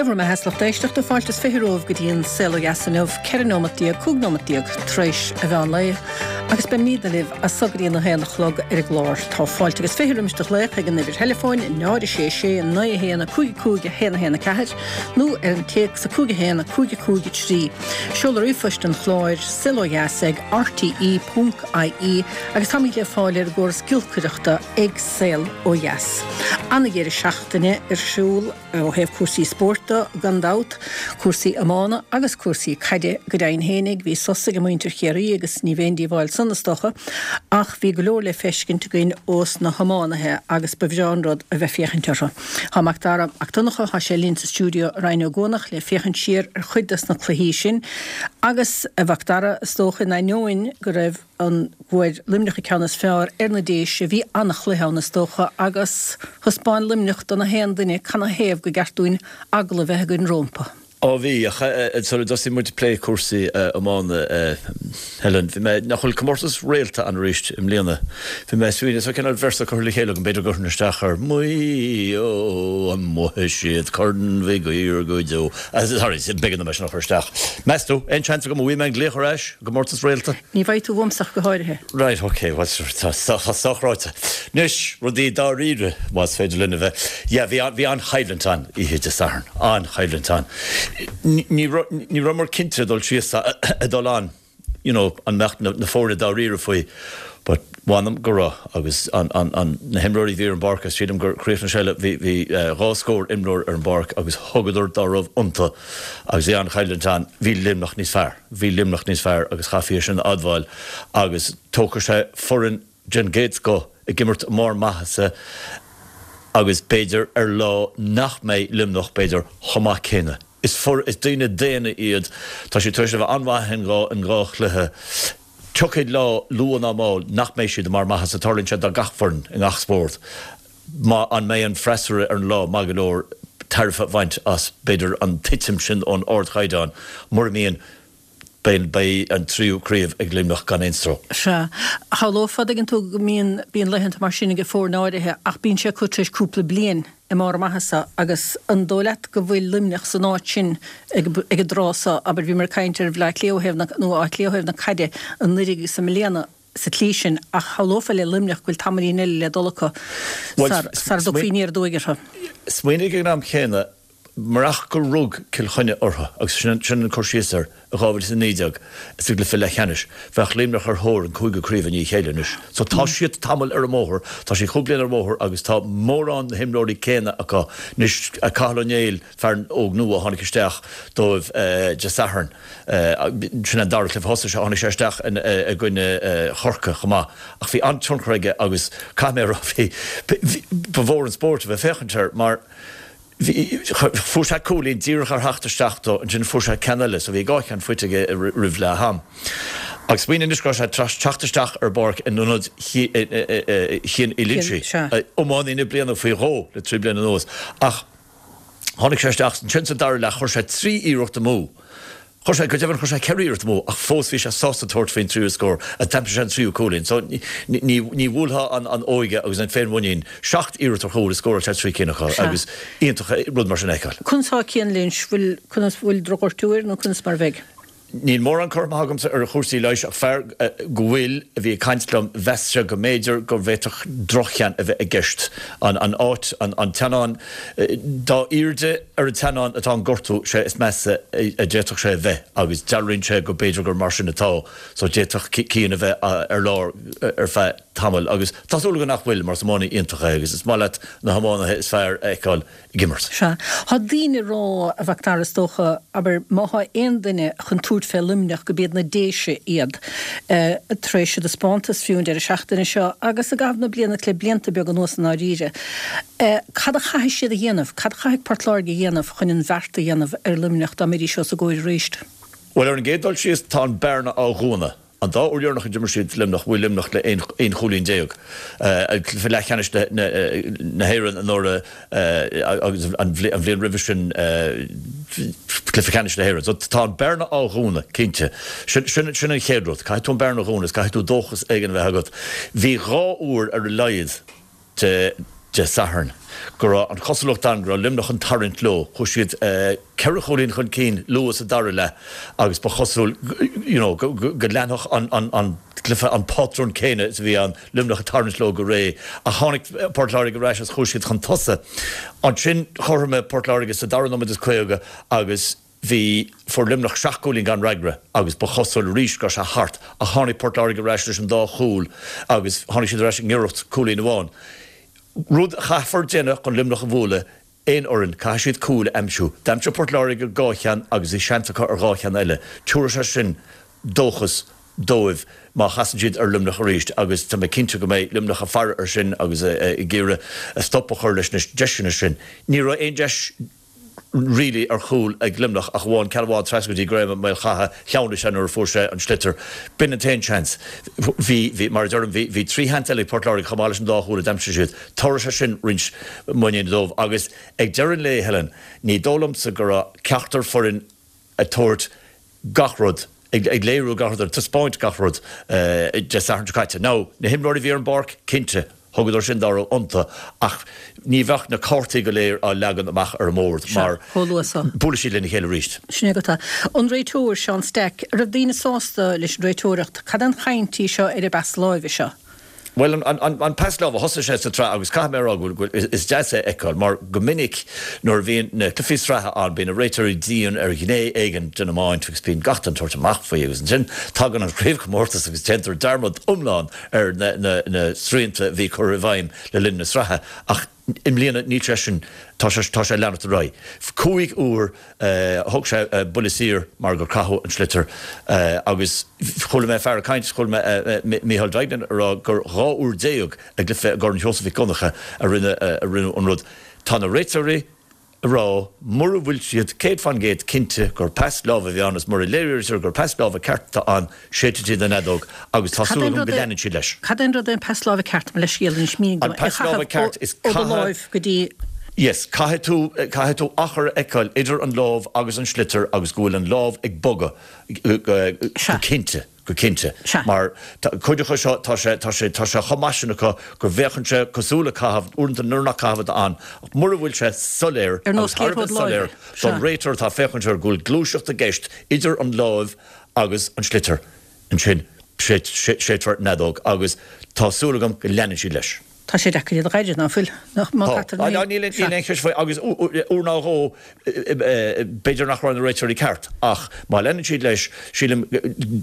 Dia bhur mbeatha, a lucht éisteachta, fáilte is 20 romhaibh go dtí an Saol Ó Dheas inniu, 14 nóimeat, 15 nóimeat tar éis a mheán lae, agus beimídne libh as so go dtí an 1 a chlog ar an gclár. Tá fáilte agus 20 roimis do ghlaoch ag an uimhir theileafóin, 0 6 6 9 1 5 5 1 1 4, nó ar an téacs 5 1 5 5 3. Seoladh ríomhphoist an chláir, saolodheas ag rte.ie, agus táimid le fáil ar an gcóras giolcaireachta ag Saol Ó Dheas. Ana-dheireadh seachtaine ar siúl ó thaobh cúrsaí spóirt de, gan dabht, cúrsaí iomána agus cúrsaí caide go deimhin fhéinig. Bhí sos ag muintir Chiarraí agus ní bheidh aon díobháil san, is dócha, ach bhí go leor le feiscint againn ós na hiománaithe agus ba bhreá an rud a bheith féachaint orthu. Tá Mac Dara Mac Donncha, tá sé linn sa stiúideo i Rinn Ó gCuanach le féachaint siar ar chuid dos na cluichí sin agus, a Mhac Dara, is dócha, in ainneoin go raibh an bhfuair Luimneach an ceann is fearr ar na Déise. Bhí an-chluiche ann is dócha agus thaispeáin Luimneach do na haon duine canathaobh go gceart dúinn eagla a bheith againn rómpa. Á bhí, ach sula dtosaíonn muid ag plé cúrsaí iomána, Helen, bhí mé, nach bhfuil comórtas réalta ann arís i mbliana? Bhí mé ag smaoineamh, tá cineál véarsa curtha le chéile agam, b'fhéidir go gcuirfinn isteach air, Maigh Eo, an mbuafaidh siad Corn Mhig Uidhir go deo? Sorry, b'éigean dom é sin a chur isteach. Meas tú, aon seans agam an bhfaighidh mé an glaoch ar ais i gcomórtas réalta? Ní bhfaighidh tú uaimse ach go háirithe. Right, ok, bhuel sure, tá sách ráite. Anois, rudaí dáiríre, más féidir linn a bheith. Yeah, bhí, bhí an-choimhlint ann oíche Dé Sathairn, an-choimhlint ann. Ní raibh, ní rabhamar cinnte ag dul síos, ag dul ann, you know, an mbeadh na, na foirne dáiríre faoi, but mh'anam go raibh agus an, an, an, na himreoirí a bhí ar an bpáirc, agus sílim gur chríochnaigh sé le, bhí, bhí dhá scór imreoir ar an bpáirc agus thugadar dá raibh iontu agus bhí an-choimhlint ann, bhí Luimneach níos fearr. Bhí Luimneach níos fearr agus chaithfí é sin a admháil agus tógfaidh sé foireann den gcéad scoth ag imirt i mbarr maitheasa agus b'fhéidir ar lá nach mbeidh Luimneach b'fhéidir chomh maith céanna. Is is daoine daonna iad, tá siad tar éis a bheith an-mhaith in dhá chluiche. Tiocfaidh lá luath ná mall nach mbeidh siad i mbarr maitheasa, tarlaíonn sé do gach foireann i ngach spórt. Má an mbeidh an freasúra ar an lá maith go leor tairbhe a bhaint as, b'fhéidir, an titim sin ón ardchaighdeán. Mura mbíonn, beidh beidh an tríú craobh ag Luimneach gan aon stró. Sea. Shamhlófá, dtuigeann tú, go mbíonn, bíonn laethanta mar sin ag foirne áirithe ach bíonn sé acu tar éis cúpla bliain i mbarr a maitheasa agus an dóigh leat go bhfuil Luimneach san áit sin ag, ag an dtráth seo, abair, bhíomar ag caint ar Bhleá Cliath ó thaobh na, nó Áth Cliath ó thaobh na caide anuraidh agus i mbliana, sa tslí sin, ach shamhlófá le Luimneach go bhfuil tamaillín eile le dul acu sara dtiocfaí aniar aduaidh orthu. Smaoinigh ag an am chéanna, murach gur rug Cill Chainnigh orthu, agus sin an cur síos air, i 2019 sa gcluiche leathcheannais, bheadh Luimneach ar thóir an cúigiú craobh i ndiaidh a chéile anois. So tá siad tamall ar an mbóthar, tá siad cúpla bliain ar an mbóthar agus tá mórán na himreoirí céanna acu anois, Cathal Ó Néill, fear óg nua a tháinig isteach dóibh Dé Sathairn. Sin an dara cluiche thosaigh sé, tháinig sé isteach i gcoinne Chorcaí chomh maith ach bhí an-tionchar aige agus caithfidh mé a rá bhí, ba mhór an spórt a bheith ag féachaint air mar bhí, fuair sé cúilín díreach ar theacht isteach dó, ansin fuair sé ceann eile so bhí dhá cheann faighte aige roimh leath am. Agus smaoinigh anois go raibh sé tar éis teacht isteach ar an bpáirc in ionad Chian Uí Loinsigh, iománaí na bliana faoi dhó le trí bliana anuas ach, Tháinig sé isteach ansin sa dara leath, chuir sé 3 iarracht amú. Chuir sé, go deimhin, chuir sé 4 iarracht amú ach fós bhí sé sásta tabhairt faoin tríú scór agus d'aimsigh sé an tríú cúilín. So ní, ní bhuailfeá an, an óige agus an féinmhuinín. Seacht iarracht ar chúl is scóráil sé 3 cinn acu agus iontach rud mar sin a fheiceáil. Conas tá Cian Lynch? Bhfuil, conas, bhfuil drochghortú air nó conas mar a bheidh? Níl mórán cur amach agamsa ar chúrsaí leighis ach fear go bhfuil, a bhí ag caint liom, mheas sé go mb'fhéidir go bhféadfadh drochcheann a bheith i gceist. An áit, an teannán, dá airde ar an teannán atá an gortú, sé is measa a d'fhéadfadh sé a bheith agus dealraíonn sé go b'fhéidir gur mar sin atá so d'fhéadfadh Cian a bheith ar lár ar feadh tamaill agus tá súil agam nach bhfuil mar is iománaí iontach é agus is maith leat na hiománaithe is fearr a fheiceáil ag imirt. Sea. Tá daoine ag rá, a Mhac Dara, is dócha, abair, má thá aon duine chun tabhairt fé Luimneach go b'iad na Déise iad, tar éis a dtaispeántas fiú an deireadh seachtaine seo agus i gcaitheamh na bliana le blianta beaga anuas i ndáiríre. Cad a chaithfidh siad a dhéanamh, cad a chaithfidh Port Láirge a dhéanamh chun an bheart a dhéanamh ar Luimneach dá mbeidís os a gcomhair arís? Bhuel, ar an gcéad dul síos, tá an bearna á dhúnadh. An dá uair dheireanach a d'imir siad Luimneach, bhuaigh Luimneach le 11 chúilín. Cluiche leathcheannais na hÉireann anuraidh agus an bhliain roimhe sin cluiche ceannais na hÉireann. So tá an bearna á dhúnadh, cinnte. Sin an chéad rud. Caithfidh tú an bearna a dhúnadh is caithfidh tú dóchas éigin a bheith agat. Bhí dhá uair ar a laghad de. Dé Sathairn, go raibh an chosúlacht ann go raibh Luimneach an tarraingt leo. Chuaigh siad ceithre chúilín chun cinn luath sa dara leath agus ba chosúil you know go leanfadh an cluiche an pátrún céanna is a bhí ann, Luimneach ag tarraingt leo go réidh. Ach tháinig Port Láirge ar ais agus chuaigh siad chun tosaigh. Ansin chothromaigh Port Láirge sa dara nóiméad is 50 agus Bhí, fuair Luimneach seacht gcúilín gan fhreagra agus ba chosúil arís go raibh sé thart ach tháinig Port Láirge ar ais leis an dá chúl agus tháinig siad ar ais i ngiorracht cúilín amháin. Rud a chaithfear déanamh chun Luimneach a bhualadh, aon fhoireann, caithfidh siad cúil a aimsiú. D'aimsigh Port Láirge dhá cheann agus bhí seans acu ar dhá cheann eile. Tabharfaidh sé sin dóchas dóibh má chasann siad ar Luimneach arís agus tá mé cinnte go mbeidh Luimneach ag faire air sin agus ag iarraidh stop a chur leis na deiseanna sin. Ní raibh aon deis. really ar chúl ag Luimneach ach amháin ceann amháin trasna go dtí Graham Ó Maolchatha, shleamhnaigh sé nuair a fuair sé an sliotar. B'in an t-aon seans. Bhí, bhí, mar a deirim, bhí, bhí trí sheans eile ag Port Láirge chomh maith leis an dá chúl a d'aimsigh siad. Tabharfaidh sé sin roinnt muiníne dóibh agus ag deireadh an lae, Helen, ní dóigh liomsa go raibh ceachtar foireann ag tabhairt gach rud, ag léiriú gach rud, ag taispeáint gach rud Dé Sathairn seo caite. Now, na himreoirí a bhí ar an bpáirc, cinnte, thugadar sin dá raibh iontu, ach ní bheadh na cártaí go léir á leagan amach ar an mbord mar chomh luath so. buailfidh siad lena chéile arís. Sin é agat é. An réiteoir, Seán Stack, an raibh daoine sásta leis an réiteoireacht? Cad é an chaint í seo ar an bpas láimhe seo? Bhuel, an pas láimhe, thosaigh sé sa tsraith agus caithfidh mé a rá go bhfuil, is deas é a fheiceáil mar go minic nuair a bhíonn na cluichí sraithe ann bíonn na réiteoirí dian ar ghné éigin den iomáint agus bíonn gach den tsórt amach faoi agus ansin tagann an chraobhchomórtas agus déantar dearmad iomlán ar na srianta a bhí curtha i bhfeidhm le linn na sraithe ach I mbliana níl sé sin, tá sé, tá sé ag leanacht ar aghaidh. Cúig uair thug sé buille saor mar gur caitheadh an sliotar agus chuala mé fear ag caint, chuala mé Micheál Duignan ag rá gur 12 uair i gcluiche i gCorn Sheosaimh Mhic Dhonncha a rinne, a rinneadh an rud. Tá na réiteoirí ag rá mura bhfuil siad 100% cinnte gur pas láimhe a bhí ann is mura léirítear gur pas láimhe ceart atá ann, séidfidh siad an fheadóg agus tá súil agam go leanann siad leis. Cad é an rud é an pas láimhe ceart, mo leithscéal anois, mínigh dom, é a chaitheamh ó do láimh go dtí. Yes, caithfidh tú, caithfidh tú achar a fheiceáil idir an lámh agus an sliotar agus go bhfuil an lámh ag bogadh go cinnte, go cinnte. Mar cuid acu seo, tá sé, tá sé, tá sé chomh maith sin acu go bhféachann sé cosúil le caitheamh, uaireanta nuair nach caitheamh atá ann, ach mura bhfuil sé soiléir agus thar a bheith soiléir don réiteoir atá ag féachaint air go bhfuil gluaiseacht i gceist idir an láimh agus an sliotar ansin séidfear an fheadóg agus tá súil agam go leanann siad leis. Tá sé deacair iad a ghaire, ná fuil? Tá. Níl aon cheist faoi agus uair nó dhó b'fhéidir nach raibh na réiteoirí ceart ach má leanann siad leis sílim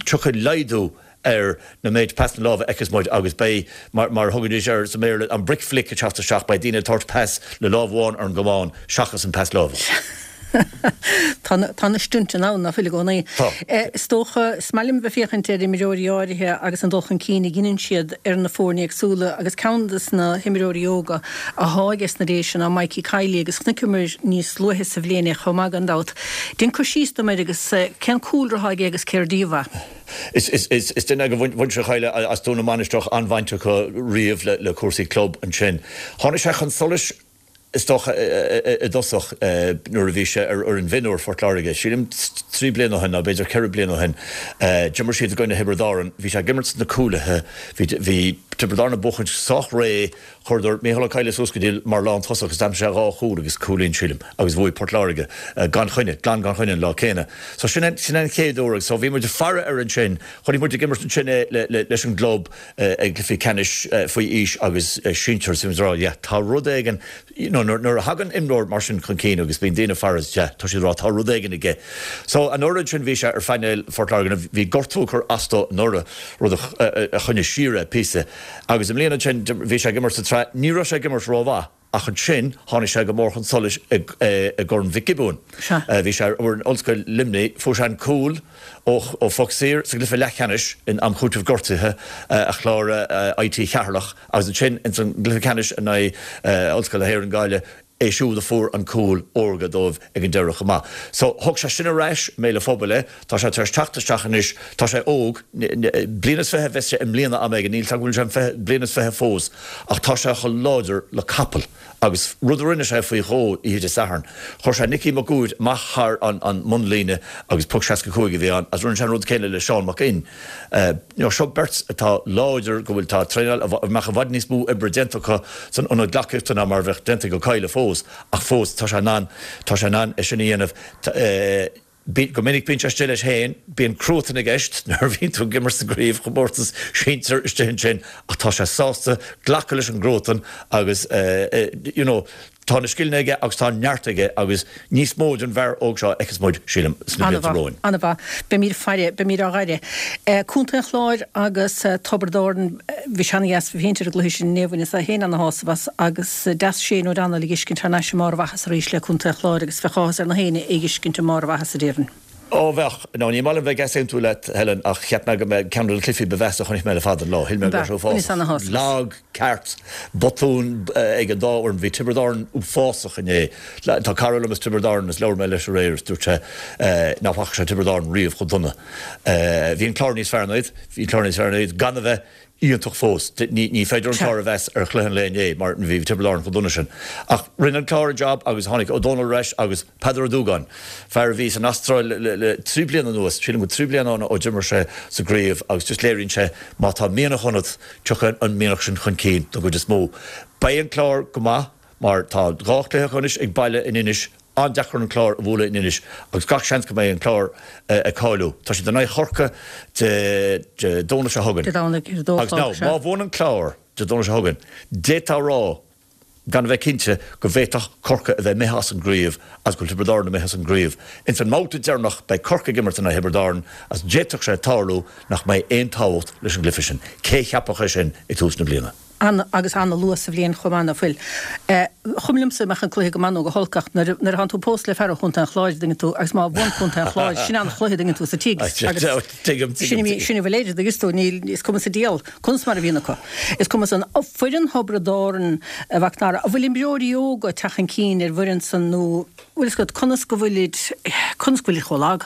tiocfaidh laghdú ar na méid pasanna láimhe a fheicfeas muid agus beidh, mar a thugaidís air sa mBéarla, an brick flick ag teacht isteach, beidh daoine ag tabhairt pas le lámh amháin ar an gcamán seachas an pas láimhe. Tá na stuntanna ann, ná fuil i gcónaí. Tá. Is dócha, is maith liom bheith féachaint ar imreoirí áirithe agus an dul chun cinn a dheineann siad ar na foirne éagsúla agus ceann des na himreoirí óga athá ages na Déise ná Mikey Kiely agus chonaiceamar níos luaithe sa bhliain é chomh maith gan dabht. Déan cur síos dom air agus cén cúlra athá aige agus céard díobh é. Is duine é de mhuintir Choille as Dún na Mainistreach, an-bhaint acu riamh le cúrsaí club ansin. Tháinig sé chun solais is dócha i dtosach nuair a bhí sé ar fhoireann mhionúir Phort Láirge, sílim trí bliana ó shin nó b'fhéidir ceithre bliana ó shin. D'imir siad i gcoinne Thiobraid Árann. Bhí sé ag imirt sna cúlaithe. Bhí Tiobraid Árann ag buachaint sách réidh. Chuireadar Micheál Ó Cadhla suas go dtí mar lántosach agus d'aimsigh sé dhá chúl agus cúilín, sílim, agus bhuaigh Port Láirge gan choinne, glan gan choinne an lá céanna. So sin an, sin an chéad uair agus so bhí muid ag faire air ansin, chonaic muid ag imirt ansin é le, le, leis an gclub ag cluichí ceannais faoi aois agus sinsir, so bhí muid ag rá yeah, tá rud éigin, you know, nuair, nuair a thagann imreoir mar sin chun cinn agus bíonn daoine ag faire, yeah, tá siad ag rá tá rud éigin aige. So anuraidh ansin bhí sé ar phainéal Phort Láirge, bhí gortú ag cur as dó anuraidh, rud a, a choinnigh siar é píosa. Agus i mbliana ansin, bhí sé ag imirt sa tsraith, ní raibh sé ag imirt rómhaith, ach ansin tháinig sé go mór chun solais i gCorn Mhic Giobúin. Bhí sé ar fhoireann Ollscoil Luimnigh, fuair sé an cúl ó phoc saor sa gcluiche leathcheannais in am chúitimh gortuithe a chláraigh IT Cheatharlach agus ansin ins an gcluiche ceannais in aghaidh Ollscoil na hÉireann Gaillimh. É siúd a fuair an cúl órga dóibh ag an deireadh chomh maith. So, thug sé sin ar ais i mbéal an phobail é. Tá sé tar éis teacht isteach anois. Tá sé óg. Bliain is 20 a bheas sé i mbliana am éigin. Níl 's agam an bhfuil sé bliain is 20 fós. Ach tá sé chomh láidir le capall. Agus rud a rinne sé faoi dhó oíche Dé Sathairn, chuir sé Nicky Mac Uaid amach thar an mbunlíne agus poc 65 a bhí ann agus rinne sé an rud céanna le Seán Mac Fhinn. You know, seo beirt atá láidir, go bhfuil, tá traenáil, a mbeadh i bhfad níos mó oibre déanta acu san ionad gleacaíochta ná mar a bheadh déanta ag Ó Cadhla fós, ach fós tá sé in ann, tá sé in ann é sin a dhéanamh. Go minic bíonn sé istigh leis féin, bíonn cruatan i gceist nuair a bhíonn tú ag imirt sa gcraobhchomórtas sinsir istigh ansin ach tá sé sásta glacadh leis an gcruatan agus you know tá na scileanna aige agus tá an neart aige agus níos mó den bhfear óg seo a fheicfeas muid, sílim, sna blianta An-mhaith, romhainn. an-mhaith. Beimid ag faire, beimid á fhaire. Contae an Chláir agus Tiobraid Árann, bhí sé ana-dheas, bhí féin ar an gcluiche sin inné, bhaineas féin ana-shásamh as agus deas Shane O'Donnell a dh'fheiscint thar n-ais i mbarr a mhaitheasa arís le Contae an Chláir agus bheadh áthas ar na héinne é dh'fheiscint i mbarr a mhaitheasa, déarfainn. Ó, bheadh. Nó ní maith liom bheith ag easaontú leat, Helen, ach cheap mé go mbeadh ceann de na cluichí ba mheasa a chonaic mé le fada an lá. Shíl mé go raibh sé uafásach. Lag, ceart, botúin ag an dá fhoireann. Bhí Tiobraid Árann uafásach inné. Tá cara liom as Tiobraid Árann is labhair mé leis aréir is dúirt sé nach bhfaca sé Tiobraid Árann riamh chomh dona. Bhí an Clár níos fearr ná iad. Bhí an Clár níos fearr ná iad gan a bheith iontach fós. Ní féidir an Clár a mheas ar chluiche an lae inné mar bhí Tiobraid Árann chomh dona sin. Ach rinne an Clár a jab agus tháinig Ó Dónaill ar ais agus Peadar Ó Dúgáin, fear a bhí san Astráil le 3 bliana anuas, sílim go 3 bliana ann ó d'imir sé sa gcraobh agus just léiríonn sé má tá mianach ionat, tiocfaidh an mianach sin chun cinn don gcuid is mó. Beidh an Clár go maith mar tá dhá chluiche acu anois ag baile in Inis, An-deacair an Clár a bhualadh in Inis agus gach seans go mbeidh an Clár ag cáiliú. Tá siad in aghaidh Chorcaí Dé Domhnaigh seo chugainn. Dé Domhnaigh ar a dó Agus now, a chlog, sea. má bhuann an Clár Dé Domhnaigh seo chugainn, d'fhéadfá a rá, gan a bheith cinnte, go bhféadfadh Corcaigh a bheith imithe as an gcraobh agus go bhfuil Tiobraid Árann imithe as an gcraobh. Ins an mbabhta deireanach beidh Corcaigh ag imirt in aghaidh Thiobraid Árann agus d'fhéadfadh sé tarlú nach mbeidh aon tábhacht leis an gcluiche sin. Cé cheapfadh é sin ag tús na bliana? An, agus an-luath sa bhliain chomh maith, ná fuil? Chuma liomsa an mbeadh an cluiche go maith nó go holc ach nuair a, nuair a thánn tú pósta le fear ó Chontae an Chláir, dtuigeann tú, agus má bhuann Contae an Chláir, sin an-chluiche, dtuigeann tú, sa tigh agus Tuigim, sin, tuigim. sin a bhfuil air, dtuigeann tú, níl, is cuma sa diabhal conas mar a bhíonn acu. Is cuma san. Foireann Thiobraid Árann, a Mhac Dara, an bhfuil imreoirí óga ag teacht chun cinn ar an bhfoireann san nó, bhfuil fhios agat, conas go bhfuilid, conas go bhfuilid chomh lag?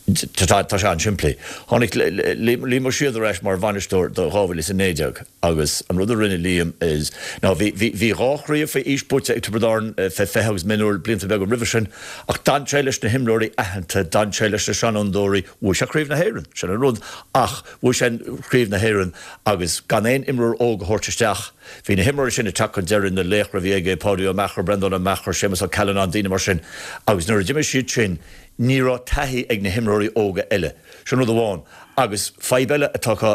Tá sé an-simplí. Tháinig Liam Ó Síoda ar ais mar bhainisteoir do 2019 agus an rud a rinne Liam is ná bhí bhí dhá chraobh faoi aois buaite ag Tiobraid Árann fé 20 agus mionúir blianta beaga roimhe sin ach d'fhan sé leis na himreoirí aitheanta, d'fhan sé leis na seanfhondúirí, bhuaigh sé Craobh na hÉireann, sin an rud, ach bhuaigh sé Craobh na hÉireann agus gan aon imreoir óg a thabhairt isteach. Bhí na himreoirí sin ag teacht chun deiridh, na laochra a bhí aige, Páidí Ó Meachair, Breandán Ó Meachair, Séamus Ó Callanáin, daoine mar sin agus nuair a d'imigh siad sin, Ní raibh taithí ag na himreoirí óga eile. Sin rud amháin. Agus fadhb eile atá acu,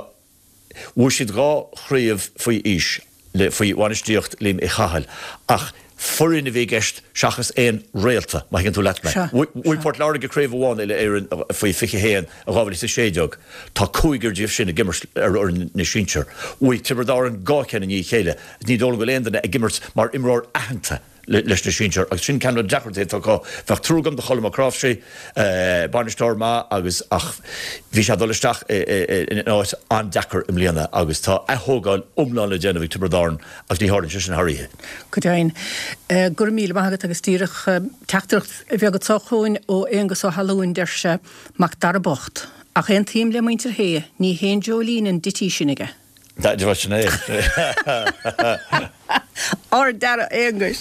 bhuaigh siad dhá chraobh faoi aois le faoi bhainistíocht Liam Uí Chathail ach foireann a bhí i gceist seachas aon réalta, má thuigeann tú leat mé. Bhuaigh Port Láirge craobh amháin uile-Éireann faoi 21 i 2016. Tá cúigear díobh sin ag imirt ar fhoireann na sinsear. Bhuaigh Tiobraid Árann dhá cheann i ndiaidh a chéile. Ní dóigh liom go bhfuil aon duine ag imirt mar imreoir aitheanta. leis na sinsir agus sin ceann de na deacrachtaí atá acu. Bheadh trua agam do Cholm Mac Cráimhsí, bainisteoir maith agus ach bhí sé ag dul isteach in áit an-deacair i mbliana agus tá ath-thógáil iomlán le déanamh ag Tiobraid Árann agus ní tharlaíonn sé sin thar oíche. Go deimhin. Go raibh míle maith agat agus díreach teachtaireacht bheag anseo chugainn ó Aonghus Ó hAlúin, deir sé, Mac Dara bocht, ach aontaím le muintir Shé, ní haon dreoilín an dití sin aige. Bhuel sin é. Ard-fhear, a Aonghuis.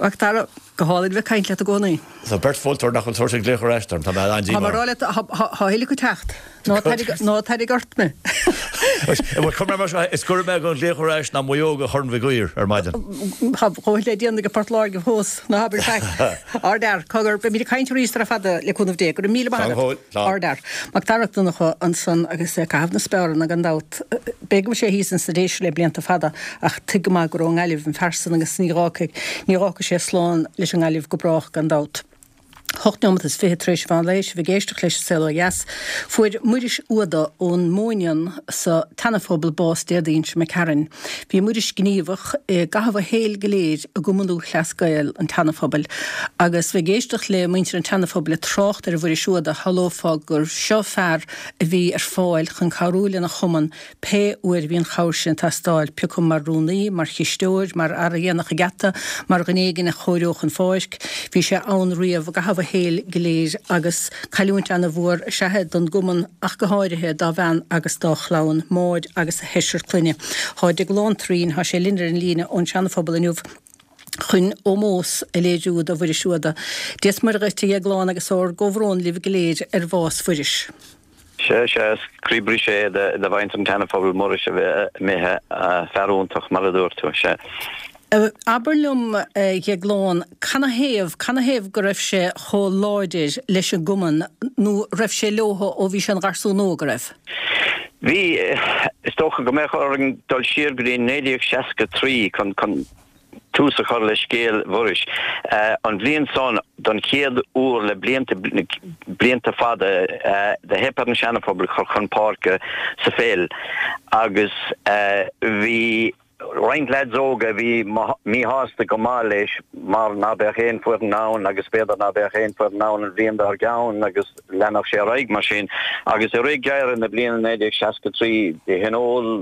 Mac Dara, go hálainn bheith ag caint leat i gcónaí. Tá beirt mholtóir nach bhfuil tabhairt an glaoch ar ais dom. Tá mé an-díomách. Tá mé ag rá leat, tá a thuilleadh acu teacht. Ná tarraing ort mé. Bhuel, cuir mé mar seo, is gaire mé don ghlaoch ar ais ná Maigh Eo do Chorn Mhig Uidhir ar maidin. Tá a dhóthain le déanamh ag Port Láirge fós, ná habair faic. Ard-fhear, cogar, beimid ag caint arís sara fada, le cúnamh Dé. Go raibh míle maith agat. Ard-fhear. Mac Dara Mac Donncha ansan agus é ag caitheamh na speáranna gan dabht. B'fhéidir go bhfuil sé thíos ins na Déise le blianta fada ach tuig go maith gur ón nGaillimh an fear san agus ní dh'fhágfaidh, ní dh'fhágfaidh sé slán leis an nGaillimh go brách gan dabht. 8 nóimeat is 20 tar éis an mheán lae, sibh ag éisteacht leis An Saol Ó Dheas. Fuair Muiris Uada ón Móinín sa tSeanaphobal bás Déardaoin seo imigh tharainn. Bhí Muiris gníomhach i gcaitheamh a shaoil go léir i gCumann Lúthchleas Gael an tSeanaphobail agus bheith ag éisteacht le muintir an tSeanaphobail ag trácht ar Mhuiris Uada shamhlófá gur seo fear a bhí ar fáil chun cabhrú lena chumann Pé uair a bhí an chabhair sin ag teastáil, pé acu mar rúnaí, mar chisteoir, mar fhear a dhéanfadh an geata, mar dhuine éigin a chóireodh an pháirc, bhí sé ann riamh i gcaitheamh a shaoil go léir agus cailliúint ana-mhór is ea é don gcumann ach go háirithe dá bhean agus dá chlann, Máire agus a sheisear clainne. Thá Deaglán Trín, thá sé linn ar an líne ón Seana-Phobal inniu chun ómós a léiriú do Mhuiris Uada. Dia is Muire dhuit, a Dheagláin, agus ár gcomhbhrón libh go léir ar bhás Mhuiris. Sea, sea, is croíbhriseadh é do mhuintir an tSeana-Phobail Muiris a bheith imithe, fear iontach, mar a dúirt tú, sea. Abair liom, a Dheagláin, canathaobh, canathaobh go raibh sé chomh láidir leis an gcumann, nó raibh sé leotha ó bhí sé ina gharsún óg, a raibh? Bhí, is dócha go mbeadh orainn dul siar go dtí 1963 chun, chun, tús a chur le scéal Mhuiris. An bhliain san, don chéad uair le blianta, blianta fada, do theip ar an Seana-Phobal cur chun páirce sa pheil agus bhí roinnt leaids óga a bhí míshásta go maith leis mar ná beadh aon foireann ann agus b'fhéidir ná beadh aon foireann ann an bhliain dár gceann agus leanfadh sé ar aghaidh mar sin. Agus i rith gheimhreadh na bliana 1963 do thionóil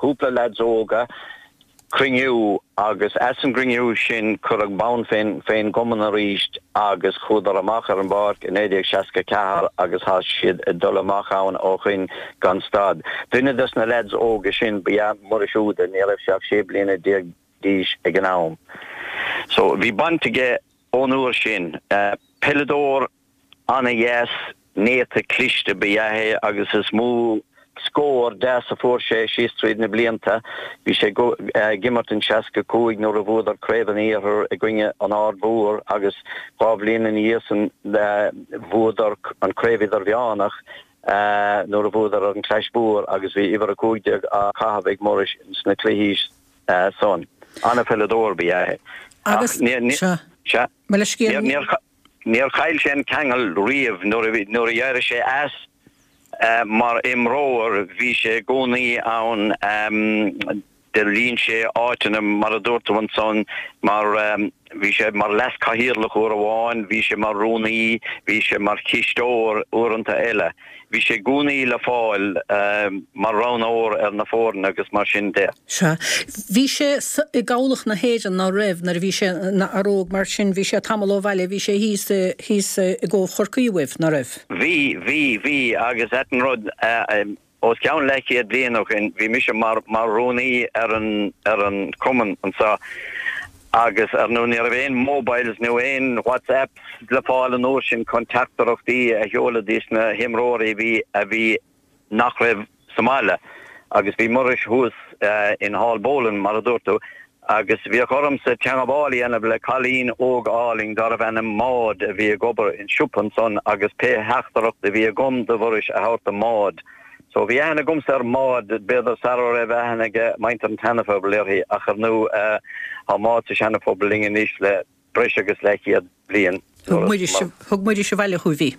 cúpla leaids óga, cruinniú agus as an gcruinniú sin cuireadh bonn fén gcumann arís agus chuadar amach ar an bpáirc i 1964 agus thá siad ag dul amach ann ó shoin gan stad. Duine des na leaids óga sin ba ea Muiris Uada, ní raibh sé ach 16 bliana d'aois ag an am. So bhí baint aige ón uair sin. Peileadóir Ana-dheas, néata, cliste ba ea é agus is mó scór deas a fuair sé síos tríd na blianta. Bhí sé ag imirt in 65 nuair a bhuadar Craobh an Iarthair i gcoinne an Aird Mhóir agus dhá bhliain ina dhiaidh san bhuadar an Craobh Idirmheánach nuair a bhuadar ar an Chlais Mhór agus bhí uimhir 15 á caitheamh ag Muiris sna cluichí san. Ana-pheileadóir ba ea é. Agus, sea, mo leithscéal. Níor chaill sé an ceangal riamh. Nuair a d'éirigh sé as mar imreoir bhí sé i gcónaí ann. Do líon sé áiteanna, mar a dúirt tú ansan, mar bhí sé mar leas-chathaoirleach uair amháin, bhí sé mar rúnaí, bhí sé mar chisteoir uaireanta eile. Bhí sé i gcónaí le fáil mar roghnóir ar na foirne agus mar sin de. Sea. Bhí sé i gCabhlach na hÉireann, ná raibh, nuair a bhí sé ina fhear óg, mar sin bhí sé tamall ó bhaile, bhí sé thíos, thíos i gCóbh Chorcaí uaibh, ná raibh? Bhí, bhí, bhí agus ait an rud, os cionn leathchéad bliain ó shin, bhí mise mar, mar rúnaí ar an, ar an chumann anseo agus ar ndóigh ní raibh aon mobiles nó aon WhatsApps le fáil an uair sin chun teachtaireachtaí a sheoladh dos na himreoirí a bhí, a bhí, nach raibh sa mbaile agus bhí Muiris thuas in Haulbowline mar a dúirt tú agus bhíodh ormsa teangabháil a dhéanamh le cailín óg álainn darbh ainm Maud a bhí ag obair in siopa ansan agus pé theachtaireacht a bhí agam do Mhuiris a thabhairt do Maud. So bhí aithne agamsa ar Maud, b'fhéidir sara raibh aithne ag muintir an tSeana-Phobail uirthi ach ar ndóigh tá Maud sa Seana-Phobal linn anois le breis agus leathchéad bliain. Thug Muiris, thug Muiris abhaile chugaibh í.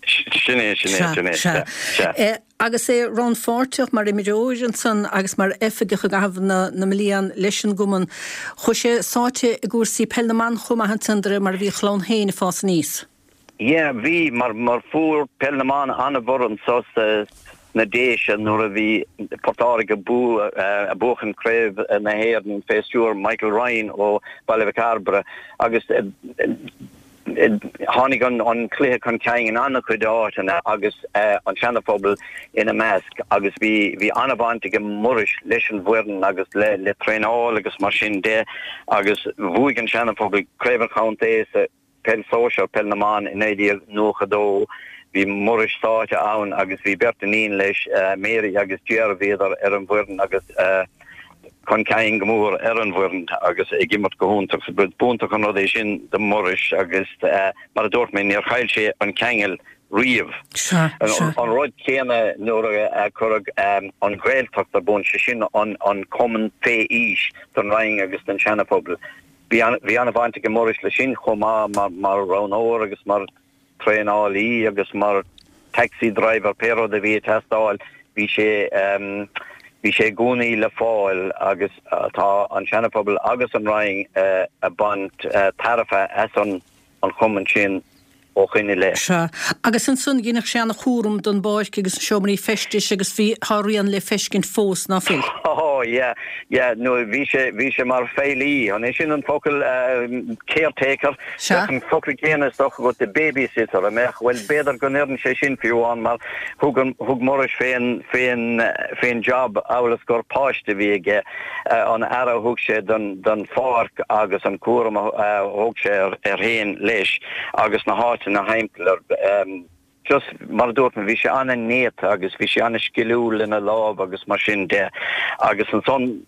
Sin é, sin é, sin é, sea, sea. Agus é rannpháirteach mar imreoir ansan agus mar oifigeach i gcaitheamh na na mblian leis an gcumann, chuaigh sé sáite i gcúrsaí peil na mban chomh maith ansan de réir mar a bhí a chlann féin ag fás aníos. Yeah, bhí, mar, mar fuair peil na mban an-bhorradh anso sa, sna Déise nuair a bhí Port Láirge ag buachan Craobh na hÉireann fé stiúir Michael Ryan ó Baile Mhic Cairbre agus tháinig an cluiche chun cinn in an-chuid áiteanna agus an Seana-Phobal ina measc agus bhí bhí an-bhaint ag Muiris leis an bhfoireann agus le le traenáil agus mar sin de agus bhuaigh an Seana-Phobal Craobh an Chontae sa Peil Sóisear, Peil na mBan i 1992. Bhí Muiris sáite ann agus bhí beirt iníon leis, Mary agus Ger, bhíodar ar an bhfoireann agus chun cinn go mór ar an bhfoireann agus ag imirt go hiontach. B'iontach an rud é sin do Mhuiris agus mar a dúirt mé, níor chaill sé an ceangal riamh. Sea, sea. An rud céanna nuair a cuireadh an Ghaeltacht ar bun, sé sin an cumann fé aois don Rinn agus don Seana-Phobal. Bhí an-bhaint ag Muiris leis sin chomh maith mar roghnóir agus mar traenálaí agus mar taxi driver, pé rud a bhí ag teastáil, bhí sé bhí sé i gcónaí le fáil agus tá an Seana-Phobal agus an Rinn ag baint tairbhe as an an chumann sin ó shoin i leith. Sea. Agus ansan dheineadh sé ana chúram don bpáirc agus na seomraí feistis agus bhí, tá a rian le feiscint fós, ná fuil? Oh yeah, yeah, nó bhí sé, bhí sé mar feighlí, an é sin an focal, caretaker? Sea. Bheadh an focal céanna is dócha agat do babysitter, an mbeadh? Bhuel, b'fhéidir go n-oireann sé sin fiú amháin mar thug an, thug Muiris fén, fén, fén job amhail is gur páiste a bhí aige. an aire a thug sé don pháirc agus an cúram a thóg sé air féin leis agus na háiteanna thimpeall air. Just mar a dúirt mé, bhí sé an-néata agus bhí sé an-sciliúil lena lámh agus mar sin de. Agus ansan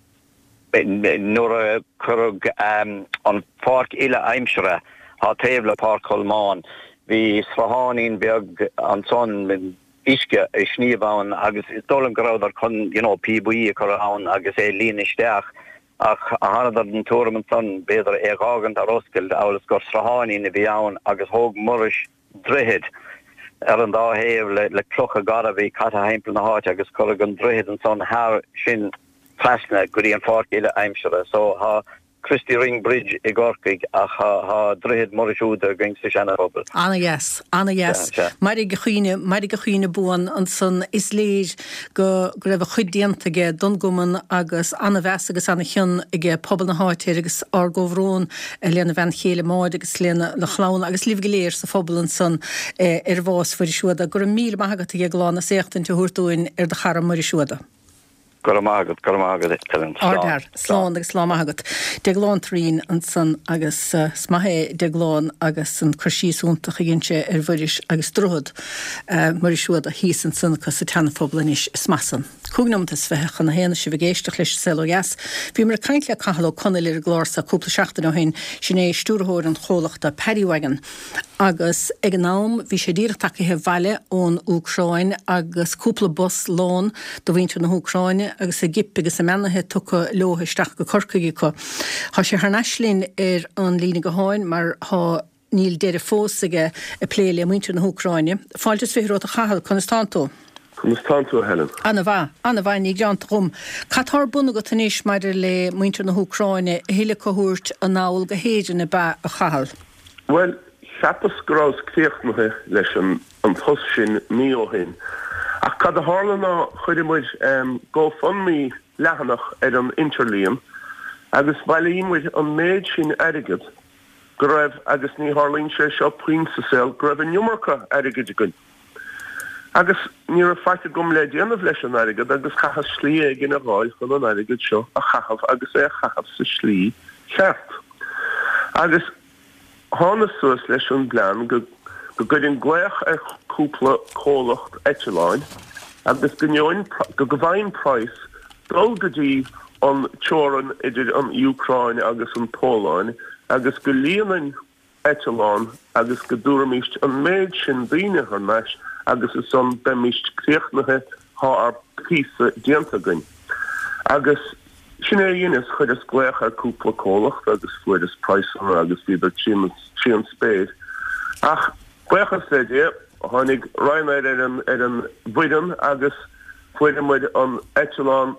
nuair a cuireadh an pháirc uile-aimsire thá taobh le Páirc Cholmáin, bhí srutháinín beag ansan, uisce ag sníomh ann agus is dóigh liom go rabhadar chun you know píobaí a chur ann agus é a líonadh isteach ach thánadar den tuairim ansan b'fhéidir é a dh'fhágaint ar oscailt amhail is gur srutháinín a bhí ann agus thóg Muiris droichead ar an dá thaobh le le clocha garbha a bhí caite thimpeall na háite agus cuireadh an droichead ansan thar sin trasna go dtí an pháirc uile aimsire so thá Christy Ring Bridge i gCorcaigh ach thá Droichead Muiris Iúda againn sa Seana-Phobal. Ana-dheas, ana-dheas. Mairfidh a chuimhne, mairfidh a chuimhne buan ansan. Is léir go go raibh a chuid déanta aige don gcumann agus ana-mheas agus ana-chion aige pobal na háite air agus ár gcomhbhrón lena bhean chéile Máire agus lena chlann agus libh go léir sa phobal ansan ar bhás Mhuiris Uada. Go raibh míle maith agat a Dhéagláin as éachtaint a thabhairt dúinn ar do chara Muiris Uada. Go raibh maith agat, go raibh maith agat Helen. Slán. Ardfhear. Slán agus lá maith agat. Déaglán Thureen ansan agus is maith é Déaglán agus an cur síos iontach a dhein sé ar Mhuiris agus droichead Muiris Uada thíos ansan acu sa tSeana-Phobal anois. Is maith san. 25 nóimeat chun a haon is sibh ag éisteacht leis An Saol Ó Dheas. Bhíomar ag caint le Cathal Ó Conaill ar an gclár seo cúpla seachtain ó shin, sin é stiúrthóir an chomhlachta Paddy Wagon. Agus ag an am bhí sé díreach tagaithe abhaile ón Úcráin agus cúpla bus lán de mhuintir na hÚcráine agus a gcip agus a mbeannaithe tugtha leo isteach go Corcaigh acu. Tá sé thar n-ais linn ar an líne gutháin mar tá níl deireadh fós aige ag plé le muintir na hÚcráine. Fáilte is 20 romhat a Chathail, conas tánn tú? Conas tánn tú a Helen? Ana mhaith, ana mhaith, ní gearánta dhom. Cad tá ar bun agat anois maidir le muintir na hÚcráine, a thuilleadh acu a thabhairt anall go hÉirinn ab ea, a Chathail? Bhuel, cheapas go rabhas críochnaithe leis an an post sin mí ó shin. Ach cad a tharla ná chuireamair GoFundMe leathanach ar an interlíon agus bhailíomair an méid sin airgead go raibh, agus ní tharlaíonn sé seo puinn sa saol, go raibh an iomarca airgid againn. Agus ní raibh faic agam le déanamh leis an airgead agus chaitheas slí éigin a dh'fháil chun an airgead seo a chaitheamh agus é a chaitheamh sa slí cheart. Agus thánas suas leis an bplean go go gcuirfinn glaoch ar chúpla comhlacht eitleáin agus go ngeobhainn go go bhfaighinn praghas dul go dtí an teorainn idir an Úcráin agus an Pholainn agus go líonfainn eitleán agus go dtabharfaimíst an méid sin daoine thar n-ais agus ansan beimíst críochnaithe, thá ár bpíosa déanta againn. Agus sin é a dheineas, chuireas glaoch ar cúpla comhlacht agus fuaireas praghsanna agus bhíodar trí an spéir. Ach buíochas le Dia, tháinig Ryanair ar an ar an bhfoireann agus fuaireamair an eitleán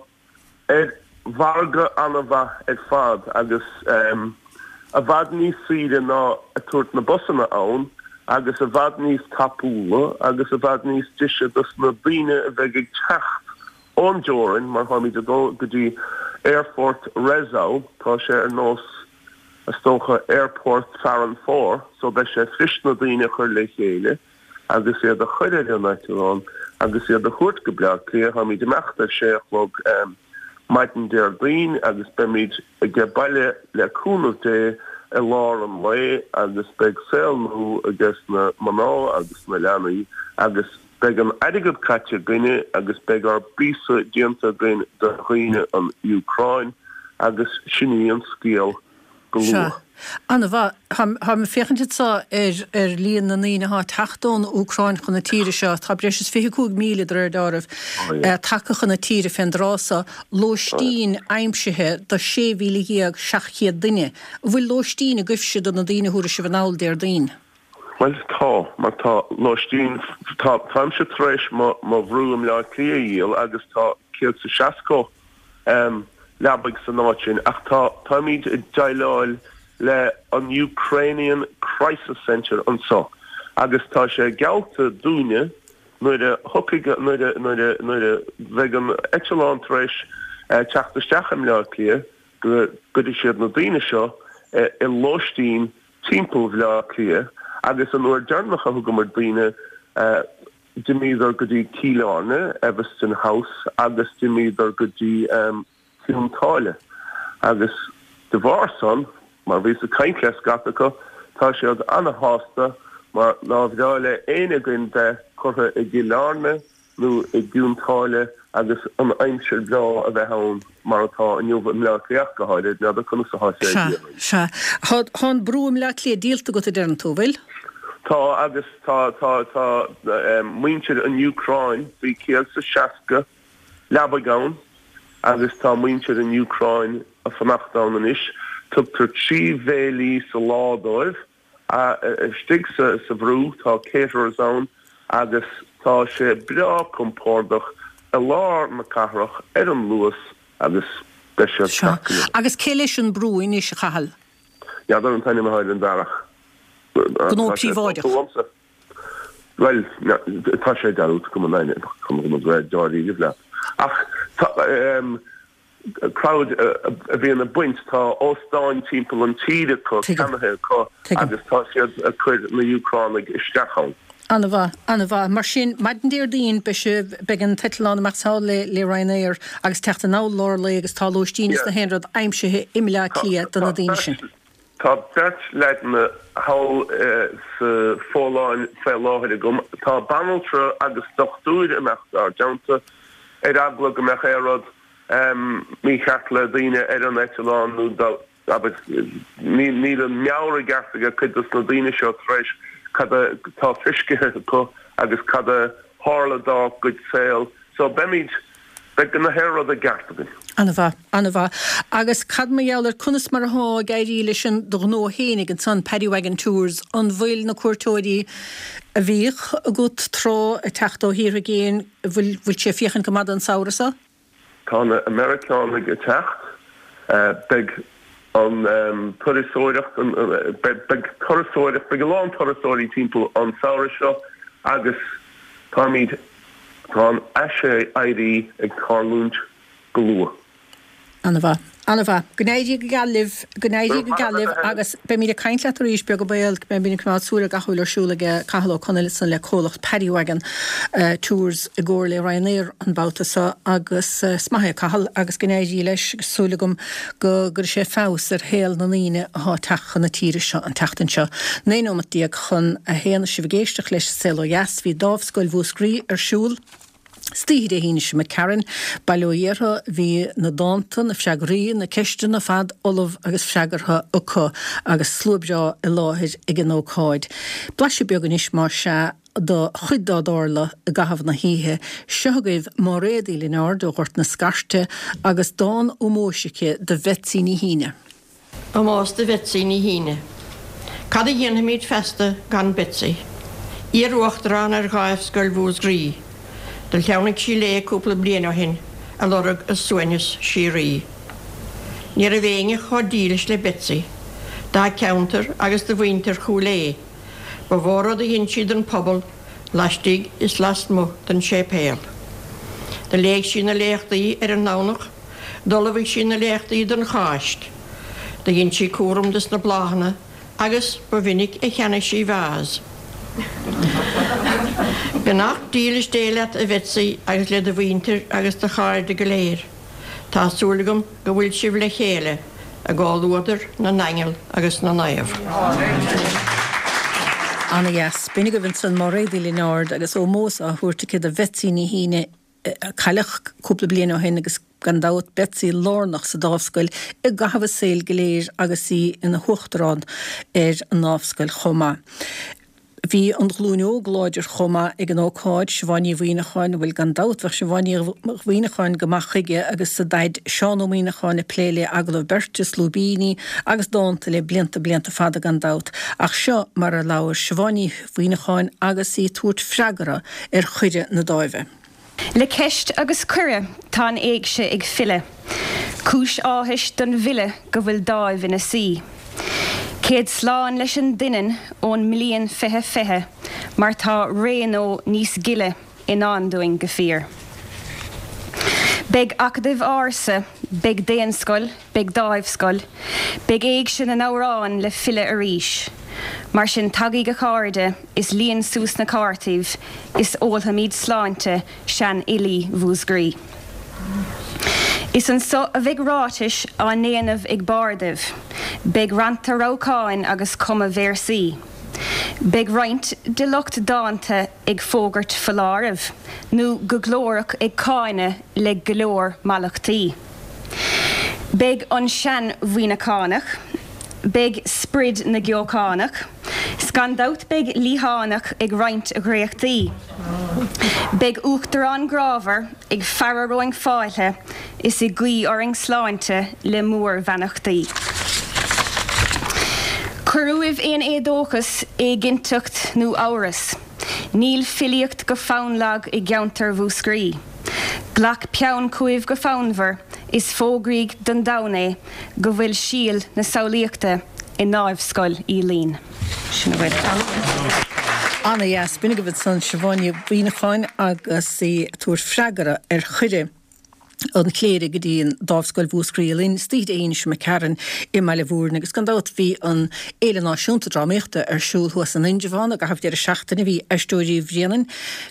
ar mhargadh an-mhaith ar fad agus i bhfad níos saoire ná ag tabhairt na busanna ann agus i bhfad níos tapúla agus i bhfad níos deise dos na daoine a bheidh ag teacht ón dteorainn mar táimid ag dul go dtí Aerfort Rzeszow, tá sé ar nós is dócha Aerfort Farranfore so beidh sé fuirist na daoine a chur le chéile. agus iad a chur ar an eitleán agus iad a thabhairt go Bleá Cliath. Táimid ag imeacht ar sé a chlog maidin Déardaoin agus beimid age baile le cúnamh Dé i lár an lae agus beidh saol nua ages na mná agus na leanaí agus beidh an airgead caite againne agus beidh ár bpíosa déanta againn do dhaoine an Úcráin agus sin í an scéal go Sea. luath. Ana-mhaith. Táim ag féachaint anseo ar ar líon na ndaoine atá ag teacht ón Úcráin chun na tíre seo. Tá breis is 25,000 de réir dealraimh tagtha chun na tíre fén dtráth so. Lóistín aimsithe do 16,700 duine. An bhfuil lóistín agaibhse do na daoine a thabharfaidh sibh anall Déardaoin? Bhuel, tá, mar tá lóistín, tá, táimse tar éis mo, mo bhrú i mBleá Cliath a dhíol agus tá 160 leabaidh san áit sin ach tá, táimid ag déileáil le an Ukrainian Crisis Centre anso agus tá sé geallta dúinne nuair a thiocfaidh, nuair a, nuair a, nuair a bheidh an eitleán tar éis teacht isteach i mBleá Cliath go gcuirfidh siad na daoine seo i lóistín timpeall Bhleá Cliath agus an uair deireanach a thugamar daoine d'imíodar go dtí Cill Airne, Evanston House agus d'imíodar go dtí Cionn tSáile agus de bharr san, mar bhíos ag caint le scata acu, tá siad ana-shásta mar nár bhreá le éinne againn bheith curtha i gCill Airne nó i gCionn tSáile agus an aimsir bhreá a bheith ann mar atá inniu i mBleá Cliath go háirid, n'fheadar conas atá sé i Sea, gCiarraí. sea. Tá, tá an brú i mBleá Cliath díolta agat a deireann tú, bhfuil? Tá agus tá, tá, tá muintir an Úcráin, bhí 160 leabaidh ann agus tá muintir an Úcráin ag fanacht ann anois. Tugtar 3 bhéilí sa lá dóibh. Istigh sa bhrú tá caterers ann agus tá sé breá compordach i lár na cathrach ar an Luas agus beidh siad Sea. ceart go leor. Agus cé leis an brú anois, a Chathail? N'fheadar an t-ainm atá ar an bhfear ach Gnó tá sé príobháideach. uaimse. Bhuel, tá sé dearúdta agam an ainm, chun a bheith dáiríre leat. Ach tá, crowd a bhíonn ag baint, tá óstáin timpeall an tír acu, ceannaithe acu agus tá siad ag cur na Úcránaigh isteach ann. An-mhaith, an-mhaith. Mar sin, maidin Déardaoin beidh sibh, beidh an t-eitleán amach thall le le Ryanair agus teacht anall lár lae agus tá lóistín is na haon rud aimsithe i mBleá Cliath do na daoine sin. Tá beirt leaideanna thall sa Pholainn faoi láthair agam. Tá banaltra agus dochtúir ag imeacht dár dteannta ar eagla go mbeadh aon rud mícheart le daoine ar an eitleán nó dá, abair, níl an meabhair i gceart ag cuid dos na daoine seo tar éis cad atá feiscithe acu agus cad a tharla dá gcuid saol. So beimid, beidh na haon rud i gceart againn. An-mhaith, an-mhaith. Agus cad mar gheall ar conas mar athá ag éirí leis an do ghnó fhéinig ansan, Paddy Wagon Tours, an bhfuil na cuairteoirí a bhíodh agat tráth ag teacht ó thíortha i gcéin, bhfuil, bhfuil sé ag féachaint go maith don samhradh so? Tá na Meiriceánaigh ag teacht. Beidh an turasóireacht, beidh turasóireacht, beidh a lán turasóirí timpeall an samhradh seo agus táimid, tá an aiséirí ag tarlúint go luath. An-mhaith. An-mhaith. Go n-éirí go geal libh. Go n-éirí go geal libh agus beimid ag caint leat arís, beag an baol. Beimid ag coimeád súil ar gach a bhfuil ar siúl ag Cathal Ó Conaill ansan le comhlacht Paddy Wagon Tours i gcomhar le Ryanair an babhta seo agus is maith é Cathal agus go n-éirí leis agus súil agam go gcuirfidh sé feabhas ar shaol na ndaoine athá ag teacht chun na tíre seo an tseachtain seo. 19 nóimeat chun a haon is sibh ag éisteacht leis An Saol Ó Dheas. Bhí Dámh Scoil Mhúscraí ar siúl. Istoíche Dé hAoine seo imigh tharainn, bail ó Dhia orthu, bhí na dánta, na freagraí, na ceisteanna fad ullamh agus freagartha acu agus slua breá i láthair ag an ócáid. Blaiseadh beag anois más ea do chuid dá dtarla i gcaitheamh na hoíche. Seo agaibh Máiréad Uí Lionáird ó Ghort na Scairte agus dán ómóis aici do Bhetsy Ní hÍne. Ómós do Bhetsy Ní hÍne. Cad a dhéanfaimid feasta gan Betsy? Iar-Uachtarán ar Dháimh Scoil Mhúscraí. Do shleamhnaigh sí léi cúpla bliain ó shin a lorg a suaimhneas síoraí. Ní raibh éinne chomh dílis le Betsy dá ceantar agus do mhuintir Chúil Aodha. Ba mhó rud a dhein sí don phobal laistigh is lasmuigh den séipéal. Do léigh sí na léachtaí ar an nDomhnach. D'ullmhaigh sí na léachtaí don Cháisc. Do dhein sí cúram dos na bláthanna agus ba mhinic a cheannaigh sí vase. Beannacht dílis Dé leat a Bhetsy agus le do mhuintir agus do chairde go léir. Tá súil agam go bhfuil sibh le chéile i gcomhluadar na n-aingeal agus na naomh. Ana dheas. B'in agaibh ansan Máiréad Uí Lionáird agus ómós á thabhairt aici do Bhetsy Ní hÍne. a cailleadh cúpla bliain ó shin agus. Gan dabht, Betsy lárnach sa Dámhscoil i gcaitheamh a saoil go léir agus í ina huachtarán ar an nDámhscoil chomh maith. Bhí an ghlúin óg láidir chomh maith ag an ócáid, Siobhán Ní Mhuimhneacháin, bhuel gan dabht bheadh Siobhán Ní Mhuimhneacháin go maith chuige agus a daid Seán Ó Muimhneacháin ag plé le agallamh beirte, is lúibíní agus dánta le blianta blianta fada gan dabht. Ach seo mar a labhair Siobhán Ní Mhuimhneacháin agus í ag tabhairt freagra ar chuireadh na Dáimhe. Le ceist agus cuireadh tá an éigse ag filleadh. Cúis áthais don bhfile go bhfuil Dáimh ina suí. Céad slán leis an doineann ón mbliain 2020 mar tá réanó níos gile i ndán dúinn go fíor. Beidh Acadaimh Ársa, beidh Daonscoil, beidh Dáimhscoil, beidh Éigse na nAmhrán le filleadh arís. Mar sin tagaíg a chairde is líon suas na cártaíbh is ólfaimíd sláinte seanfhilí Mhúsgraí. Is anso a bheidh ráitis á ndéanamh ag bardaibh, beidh rannta rabhcáin agus cumadh véarsaí. Beidh roinnt de lucht dánta ag fógairt foláirimh nó go glórach ag cáineadh le go leor mallachtaí. Beidh an sean-Mhuimhneachánach, beidh sprid na gCeochánach, 's gan dabht beidh Liathánach ag roinnt a dhréachtaí. Beidh Uachtarán grámhar ag fearadh romhainn fáilte is ag guí orainn sláinte le mórbheannachtaí. Cuir uaibh aon éadóchas, éiginnteacht nó amhras. Níl filíocht go fonn lag i gceantar Mhúscraí. Glac peann chugaibh go fonnmhar is fógraíg don domhan é go bhfuil síol na samhlaíochta i nDáimhscoil Uí Fhloinn. Sin a bhfuil. Ana-dheas. B'in agaibh ansan Siobhán Ní Mhuimhneacháin agus í ag tabhairt freagra ar chuireadh an chléirigh go dtí an Dámhscoil Mhúscraí Uí Fhloinn istoíche Dé hAoine seo imigh tharainn i mBaile Mhúirne agus gan dabht bhí an Fhéile Náisiúnta Drámaíochta ar siúl thuas in Indreabhán i gcaitheamh deireadh seachtaine. Bhí Aisteoirí Bhréanainn,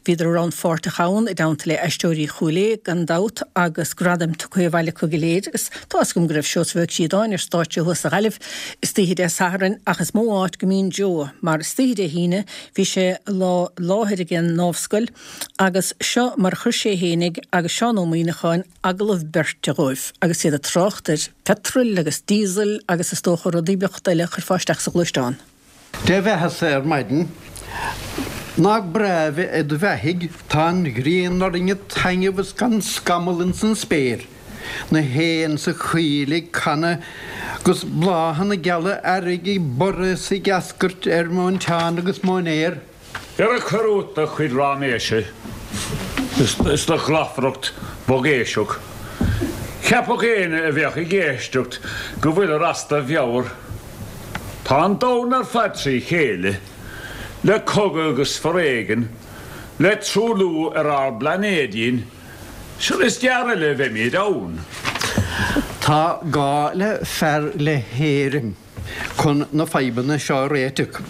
bhíodar rannpháirteach ann i dteannta le Aisteoirí Chúil Aodha gan dabht agus gradaim tugtha abhaile acu go léir agus tá fhios agam go raibh Seosamh Ó Críodáin ar stáitse thuas sa Ghaillimh istoíche Dé Sathairn ach is mó áit go mbíonn Joe mar istoíche Dé hAoine bhí sé i láthair ag an nDámhscoil Agus seo mar a chuir sé fhéinig agus Seán Ó Muimhneacháin agallamh beirte dhóibh agus iad ag trácht ar phetrol agus diesel agus is dócha rudaí beacht eile a chuirfeá isteach sa ghluaisteán. Dé bheatha-sa ar maidin. Nach breá bheith id bheathaidh, tá an ghrian orainn ag taitneamh is gan scamall ins an spéir, na héin sa choill ag canadh 'gus bláthanna geala earraigh ag borradh is ag eascairt ar mhóinteán agus móinéar. Ar cuir uait do chuid raiméise is do ghlafaireacht bhogéiseach. Cheapfadh éinne a bheadh ag éisteacht go bhfuilir as do mheabhair. Tá an domhan ar fad trí chéile, le cogadh agus foréigean, le truailliú ar ár bplainéidín, sure is gearr eile a bheimid ann. Tá gá le fear le héirim. chun na fadhbanna seo a réiteach.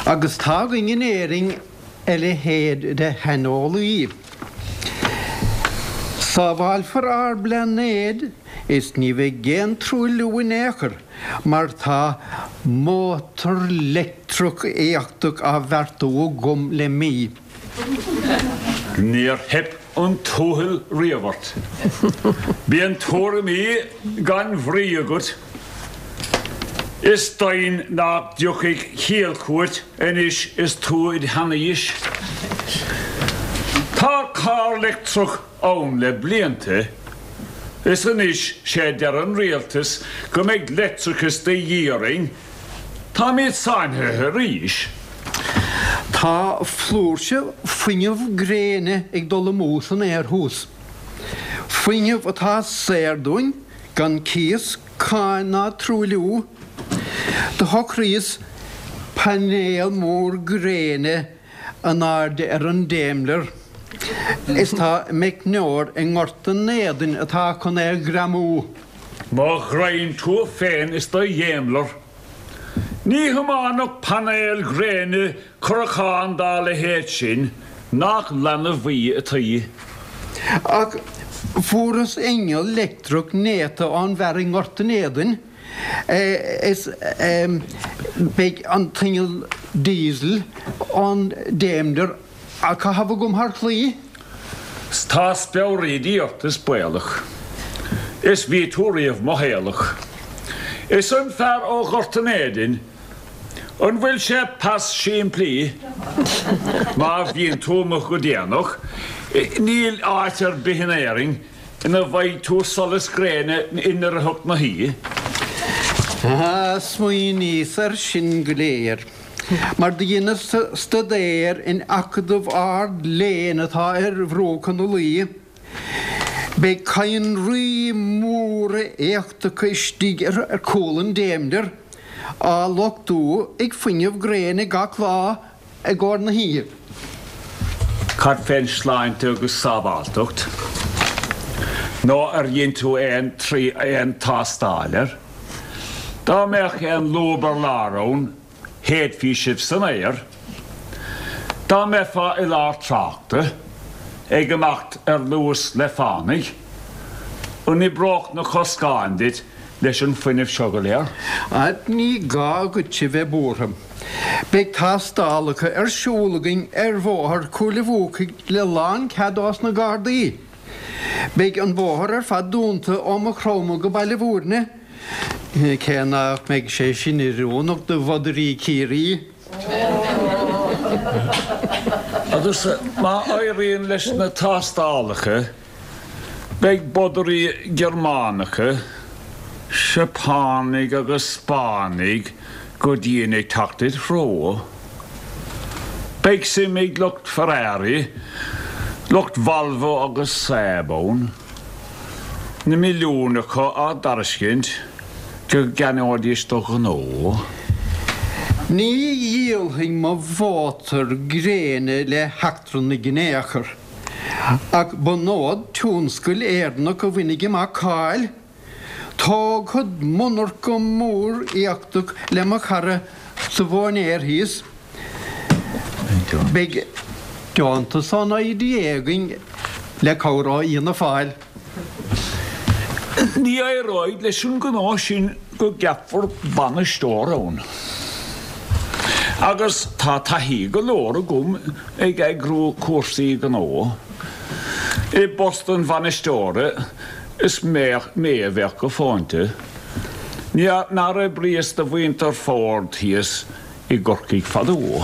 Agus tá againn in Éirinn a leithéid de shaineolaí. Sábhálfar ár bplainéad is ní bheidh aon truailliú in aon chor mar tá mótar leictreach éifeachtach á bheartú agam le mí. Níor theip an tuathal riamh ort. Bíonn tuairimí gan bhrí agat. Is deimhin nach dtiocfaidh ciall chugat anois is tú id sheanaois. Tá carr leictreach ann le blianta is anois sé deir an rialtas go mbeidh leictreachas de dhíth orainn. Táimid sáinnithe arís. Tá flúirse fuinneamh gréine ag dul amú san aer thuas. Fuinneamh atá saor dúinn gan cíos, cáin ná truailliú. Do shocraíos painéal mór gréine in airde ar an Daimler is tá meicneoir i nGort an Éadain atá chun é a ghreamú. Mo ghraidhin tú féin is do Dhaimler. Ní thiománfadh painéil ghréine curachán dá leithéid sin, nach leanbh í ataoi. Ach fuaireas inneall leictreach néata ón bhfear i nGort an Éadain is beidh an t-inneall diesel ón Daimler á chaitheamh agam thar claí. 'S tá speabhraídí ort is baolach. Is bhí tú riamh mothaolach. Is an fear ó Ghort an Éadain, an bhfuil sé pas simplí? Má bhíonn tú amuigh go déanach, níl áit ar bith in Éirinn ina bhfaighidh tú solas gréine i ndoircheacht na hoíche. Smaoiníos air sin go léir mar do dheineas staidéar in acadamh ard-léinn atá ar bhruacha na Laoi. Beidh cadhnraí móra éachtacha istigh ar chúl an Daimler, á luchtú ag fuinneamh gréine gach lá i gcomhair na hoíche. Cad fén sláinte agus sábháltacht? Nó ar dhein tú aon aon tástáil air? Dá mbeadh aon lúb ar lár ann, shéidfí sibh san aer. Dá mbeifeá i lár tráchta, ag imeacht ar luas le fánaidh, an oibreodh na coscáin duit leis an fuinneamh seo go léir? Ní gá duit a bheith buartha. Beidh tástálacha ar siúl againn ar bhóthar Chúil a' Bhuacaigh le lánchead ós na Gardaí. Beidh an bóthar ar fad dúnta ó Maigh Chromtha go Baile Bhúirne, cé nach mbeidh sé sin oiriúnach do bhodairí Chiarraí. Agus má éiríonn leis na tástálacha, Beidh bodairí Gearmánacha, Seapánaigh agus Spáinnigh go dian ag teacht id threo. Beidh suim ag lucht Ferrari, lucht Volvo agus Saab ann, na milliúin acu á dtairiscint go gceannóidís do ghnó. Ní dhíolfainn mo mhótar gréine le heachtrannaigh in aon chor. Ach bunód tionscal Éireannach a bhainfidh amach cáil. Tógfad monarcha mór éachtach le mo chara sa mhóinéar thíos. Beidh deontas ón IDA againn le cabhair ó Fhianna Fáil. Ní éireoidh leis an ngnó sin go gceapfar bainisteoir ann. Agus tá taithí go leor agam ag eagrú cúrsaí gnó. I bpost an bhainisteora is mé a bheadh go fóinte. Nár oibríos do mhuintir Ford thíos i gCorcaigh fadó.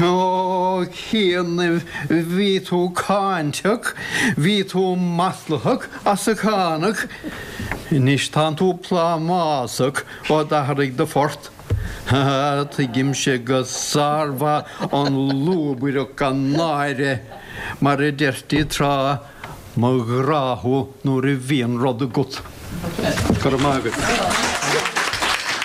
Ó, chianaibh bhí tú cáinteach, bhí tú maslaitheach as a cáineadh. Anois tánn tú plámásach ó d'athraigh do phort. Tuigimse go sármhaith an lúbaireacht gan náire, mar a deirtí tráth, Mo ghrá thú nuair a bhíonn rud agat. Go raibh maith agat.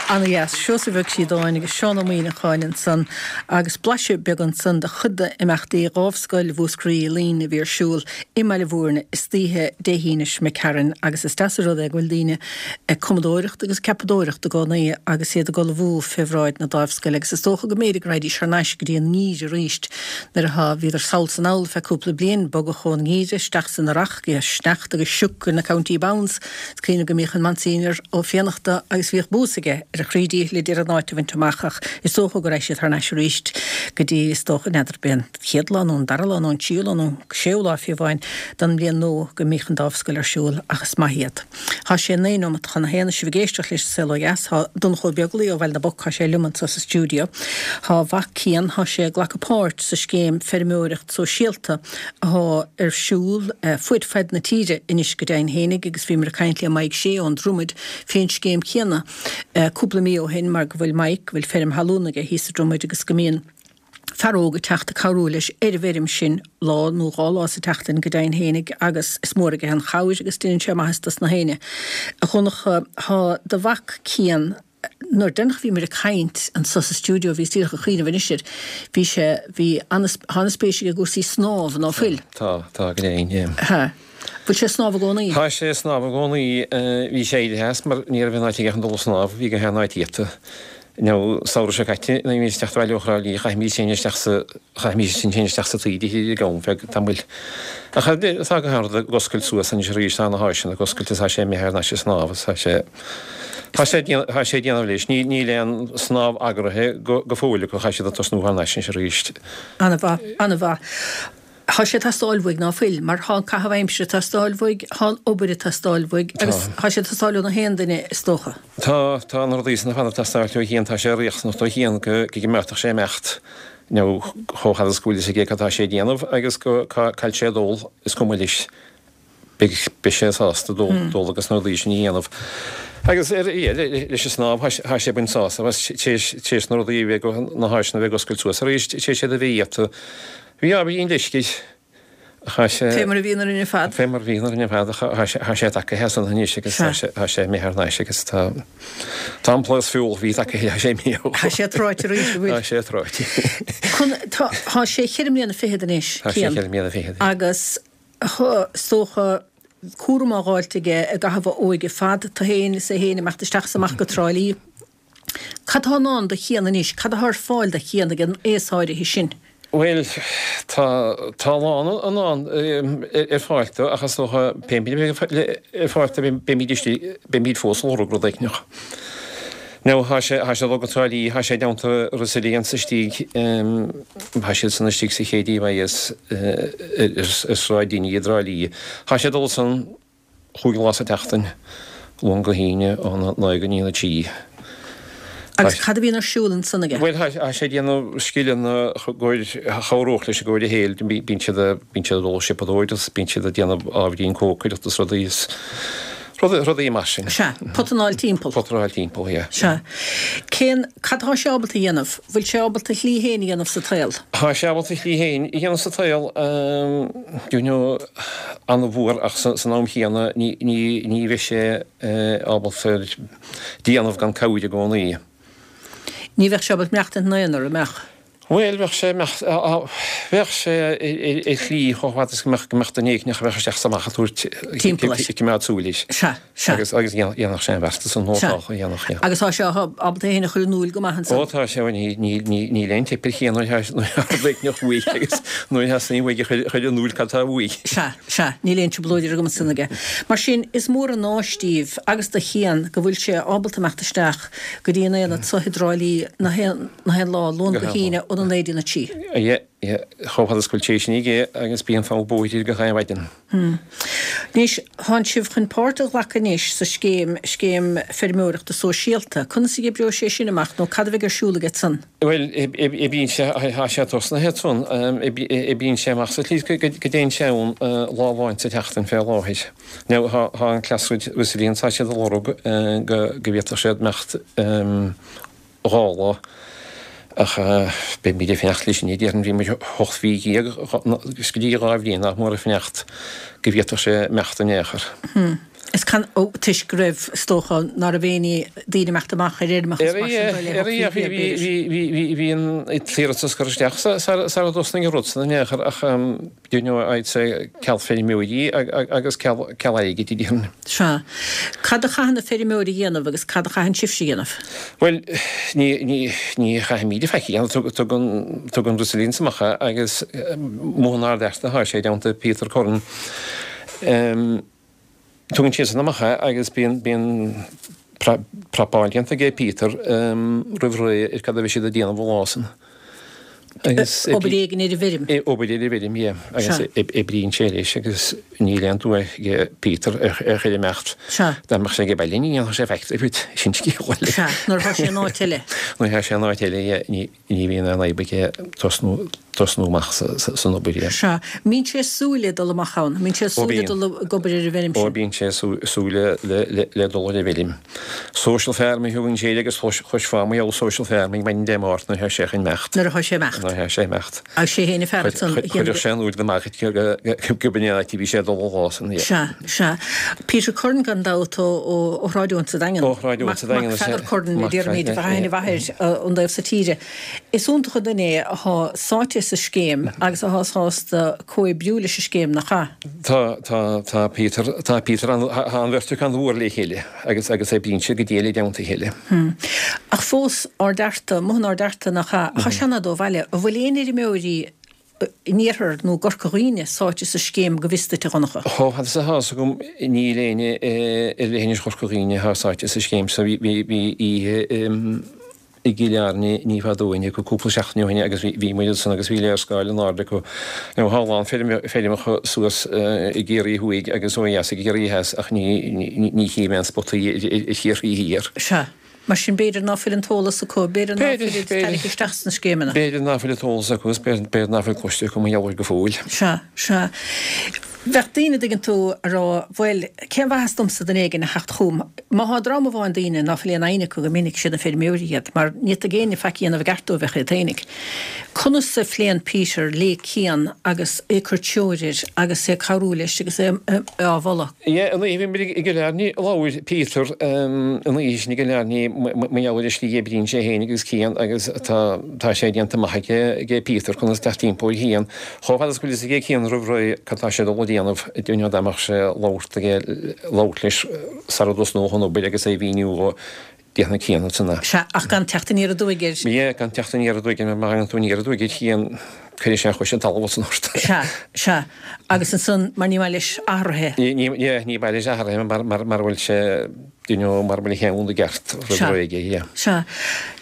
Ana dheas. Seosamh Ó Críodáin agus Seán Ó Muíneacháin ansan agus blaiseadh beag ansan de chuid d'imeachtaí Dhámhscoil Mhúscraí Luíne a bhí ar siúl i mBaile Bhúirne istoíche Dé hAoine seo imigh tharainn agus is deas an rud é go bhfuil daoine ag cumadóireacht agus ag ceapadóireacht i gcónaí agus iad ag ullmhú fé bhráid na Dámhscoile agus is dócha go mb'fhéidir go raghaidís thar n-ais go dtí an ngeimhreadh arís Nuair atá, bhíodar sall 's anall feadh cúpla bliain, bogadh ón ngeimhreadh isteach san earrach, go sneachta agus sioc ar na County Bounds. Is cuimhin liom go mbíodh an Monsignor Ó Fiannachta agus bhíodh bús aige ar a chroí díchill ag iarraidh an áit a bhaint amach ach is dócha go raghaidh siad thar n-ais arís go dtí, is dócha, n'fheadar, b'é an chéad lá nó an dara lá nó an tríú lá nó an séú lá fiú amháin den mbliain nua go mbíodh an Dámhscoil ar siúl ach is maith iad. Thá sé 9 nóimeat chun a haon, is sibh ag éisteacht leis an Saol Ó Dheas. Thá Donncha Ó Beaglaoi ó Bhaile na bPoc, thá sé liom anso sa stiúideo. Thá a mhac Cian, thá sé ag glacadh páirt sa scéim Feirmeoireacht Sóisialta athá ar siúl fuaid faid na tíre anois go deimhin fhéinig agus bhíomar ag caint le Mike Shea ón Dromaid fén scéim chéanna cúpla mí ó shin mar go bhfuil Mike, go bhfuil feirm thalún aige thíos sa Dromaid agus go mbíonn fear óg ag teacht ag cabhrú leis ar an bhfeirm sin lá nó dhá lá sa tseachtain go deimhin fhéinig agus is mór aige an chabhair agus déanann sé maitheas dos na héinne. A Dhonncha, thá do mhac Cian, nuair deireanach a bhíomar ag caint anso sa stiúideo bhíos díreach ag cuimhneamh anois air, bhí sé, bhí ana, thá ana spéis aige i gcúrsaí snámha, ná fuil? Tá, tá go deimhin, yeah. Tá. Bhfuil sé ag snámh i gcónaí? Tá sé ag snámh i gcónaí. Bhí sé éirithe as mar ní raibh aon áit aige chun dul ag snámh, bhí gach aon áit iata. Nó samhradh seo caite nuair a bhímís ag teacht abhaile ó Thrá Lí chaithimís féin isteach sa, chaithimís sinn féin isteach sa taoide thiar ag am feadh tamaill. Ach tá gach aon rud ag oscailt suas anois arís, tá na háiseanna ag oscailt is tá sé imithe thar n-ais ag snámh is tá sé, tá sé ag déanamh, tá sé ag déanamh leis. Níl aon snámh eagraithe go fóill acu, chaithfidh siad ag tosnú thar n-ais anois arís. Ana-mhaith, ana-mhaith. Tá sé ag teastáil uaidh, ná fuil? Mar tá an caitheamh aimsire ag teastáil uaidh, tá an obair ag teastáil uaidh agus tá sé ag teastáil ó na haon duine, is dócha. Tá, tá na rudaí san ar fad ag teastáil ó Chian, tá sé riachtanach do Chian go gcoimeádfadh sé imeacht nó chomh fada is go bhfuil fhios aige cad tá sé ag déanamh agus go cá bhfuil sé ag dul, is cuma leis. Beidh sé sásta dul agus na rudaí sin a dhéanamh. Agus ar leis an snámh, tá sé ag baint sásamh as, tar éis na rudaí a bheith, na háiseanna a bheith ag oscailt suas arís, tar éis iad a bheith iata. Bhí ábhairín leisce ach tá sé. Fé mar a bhíonn orainn ar fad. Fé mar a bhíonn orainn ar fad ach tá sé tagaithe as san anois agus tá sé imithe thar n-ais agus tá tá an plás feoil bhí tagaithe, tá sé imithe. Tá sé tráite arís, an bhfuil? Tá sé tráite. Tá sé cheithre mbliana fichead anois, Cian. Tá sé cheithre mbliana fichead. Agus Is dócha, cúram á dh'fháilt aige i gcaitheamh a óige fad, tú fhéin is é fhéin ag imeacht isteach is amach go Trá Lí. Cad tá i ndán do Chian anois? Cad atá ar fáil do Chian ag an aos áirithe sin? Bhuel, tá, tá a lán i ndán ar fáil dó ach is dócha pé a bheidh ar fáil dó beimid istigh, beimid fós ag lorg rud éigneach. Now tá sé, tá sé ag dul go Trá Lí, tá sé i dteannta Resilience istigh, tá siad san istigh sa Chéidí Bhíos ar Sráid Dinny i dTrá Lí. Tá sé ag dul ansan chúig lá sa tseachtain, Luan go hAoine, óna naoi go dtí a trí. Agus cad a bhíonn ar siúl ansan aige? Bhuel, tá sé ag déanamh scileanna a chabhródh leis i gcomhair a shaoil. Bíonn siad, bíonn siad ag dul ag siopadóireacht is bíonn siad ag déanamh ábhairín cócaireachta is rudaí is rudaí mar sin. Sea, potanáil timpeall. Potanáil timpeall, yeah. Sea. Cén, cad tá sé ábalta a dhéanamh? Bhfuil sé ábalta a shlí féin a dhéanamh sa tsaol? Tá sé ábalta a shlí féin a dhéanamh sa tsaol, you know, an-mhór ach san am chéanna ní, ní, ní bheidh sé ábalta déanamh gan cabhair i gcónaí. Ní bheadh sé ábalta maireachtaint ina aonar, an mbeadh? Bhuel, bheadh sé, bheadh sé ar shlí chomh fada is go mbeadh, go mbeadh duine éigin a bheadh isteach is amach ag tabhairt Timpeall leis. ag coimeád súil air. Sea, sea. Agus, agus dhéanfadh sé an bheartas an Sea. nótáil a dhéanfadh, yeah. Agus tá sé ábalta é féin a chur in iúl go maith ansan. Ó tá sé, ní, ní, ní, níl aon teip ar Chian nuair atá, nuair atá rud éigin uaidh agus nuair a theastaíonn uaidh a chur, chur in iúl cad tá uaidh. Sea, sea, níl aon trioblóid ar an gcuma san aige. Mar sin, is mór an áis daoibh agus do Chian go bhfuil sé ábalta imeacht isteach go dtí an aonad so i dTrá Lí na haon na haon lá, Luan go hAoine, óna naoi dtí'n a trí. Yeah, yeah, chomh fada is go bhfuil sé sin aige agus bíonn fonn bóthair gach aon mhaidin. Hmm. Anois, tánn sibh chun páirt a ghlacadh anois sa scéim, scéim feirmeoireachta sóisialta. Conas a oibreoidh sé sin amach nó cad a bheidh ar siúl agat san? Bhuel, oibríonn sé, tá sé tosnaithe ansan, oibríonn sé amach sa tslí is go dtéann sé ann lá amháin sa tseachtain fé láthair. Now, tá an Classroom Resilience, tá siad ag lorg go bhféadfadh siad imeacht 2 lá ach beimid ag fanacht leis sin, déarfainn. Bhí muid 18 mhí is go dtí 2 bhliain nach mór ag fanacht go bhféadfadh sé imeacht in aon chor. Is can, ó, toisc go raibh, is dócha, ná raibh éinne, daoine imeacht amach ar fheirmeacha is mar sin de le hocht mhí b'fhéidir. Bhí, bhí an t-iarratas curtha isteach sara dtosnaigh an rud san in aon chor ach you know, I'd say ceal feirmeoirí agus ceal airgid, a déarfainn. Sea. Cad a chaitheann na feirmeoirí a dhéanamh agus cad a chaitheann sibhse a dhéanamh? Bhuel, ní, ní, ní chaithfimíd faic a dhéanamh. Tugann, tugann Resilience amach é agus amuigh in Ard Fhearta atá sé i dteannta Peter Curran. Tugann siadsan amach é agus bíonn, bíonn prapáil déanta aige Peter roimh ré ar cad a bheidh siad ag déanamh an lá san. Agus Obair éigin ar an bhfeirm. Obair ar an bhfeirm, yeah. Agus oibríonn sé leis agus níl aon dua aige Peter ar chor imeacht. Sea. Dá mbeadh sé ag baile ní dhéanfadh sé faic de, sin scéal eile. Sea, nuair atá sé in áit eile. Nuair atá sé in áit eile, yeah, ní. Ní bhíonn aon fhadhb aige tosnú, tosnú amach san obair. Sea. Mbíonn sé ag súil le dul amach ann? Mbíonn sé ag súil le dul ag obair ar an bhfeirm sin? Ó, bíonn sé ag súil le dul ar an bhfeirm. Social farming a thugann sé air agus chloisfeá mar gheall social farming maidin Dé Máirt nuair atá sé chun imeacht. Nuair atá sé imeacht. Nuair atá sé imeacht. Agus sé fhéin an fear ansan a dhéanamh. Chuirfeadh sé in iúl do Mhargaret go b'in an áit a bhí sé ag dul an lá san. Sea, sea. Peter Curran gan dabht ó Shráid Eoin sa Daingean. Ó Shráid Eoin sa Daingean. Mac Pheadar Curran a déarfaimid, a bhean a mháthair ón dtaobh so tíre. Is iontach an duine é athá sáite sa scéim agus athá sásta comhoibriú leis an scéim, nach ea? Tá, tá, tá Peter, tá Peter, tá an bheirt acu an-mhór le chéile agus agus oibríonn siad go diail i dteannta a chéile. Ach fós, Ard Fhearta, amuigh in Ard Fhearta, nach ea? Tá sé an-fhada ó bhaile. An bhfuil aon fheirmeoirí in iarthar nó i gCorca Dhuibhne sáite sa scéim go bhfios duit, a Dhonncha? Chomh fada is atá fhios agam níl éinne ar leithinis Chorca Dhuibhne atá sáite sa scéim so. Bhí, bhí, bhí oíche. i gCill Airne ní fada ó shin, cúpla seachtain ó shin agus bhí muid ansan agus bhí léarscáil in airde acu. Now tá a lán feirmeacha suas i gCiarraí Thuaidh agus ó dheas i gCiarraí Theas ach ní chím aon spotaí i Chiarraí Thiar. Sea. Mar sin b'fhéidir ná fuil an t-eolas acu, b'fhéidir ná fuilid tarraingthe isteach sna scéimeanna. B'fhéidir ná fuil an t-eolas acu is b'fhéidir ná fuil cloiste acu mar gheall air go fóill. Sea, sea. Bheadh daoine, dtuigeann tú, a rá, bhuel, cén mhaitheas domsa duine éigin a theacht chugam? Má thá dream amháin daoine ná fuil aon fhoighne acu go minic, siad na feirmeoirí iad, mar ní fhéadfadh éinne faic a dhéanamh i gceart dóibh ach iad fhéinig. Conas a phléann Peter le Cian agus é ag cur treoir air agus é ag cabhrú leis agus é á mholadh? Yeah, an oíche a bhí muid i gCill Airne, labhair Peter an oíche sin i gCill Airne mar gheall ar an slí a oibríonn sé féin agus Cian agus tá tá sé déanta amach aige aige Peter conas teacht timpeall ar Chian. Chomh fada is go bhfuil fhios aige Cian roimh ré cad tá sé ag dul a dhéanamh, you know, dá mbeadh sé labhairt aige labhairt leis sara dtosnódh an obair agus é a mhíniú dhó Déanfaidh Cian ansan é. Sea, ach gan teacht aniar aduaidh air. Yeah, gan teacht aniar aduaidh air, mar má thagann tú aniar aduaidh ar Chian, cuirfidh sé a chois an talamh ansan ort. Sea, sea. Agus ansan, mar ní maith leis athruithe. Ní, ní, yeah, ní maith leis athruithe mar, mar, mara bhfuil sé, you know, mara bhfuil a cheann i gceart roimh Sea. ré aige, yeah. Sea.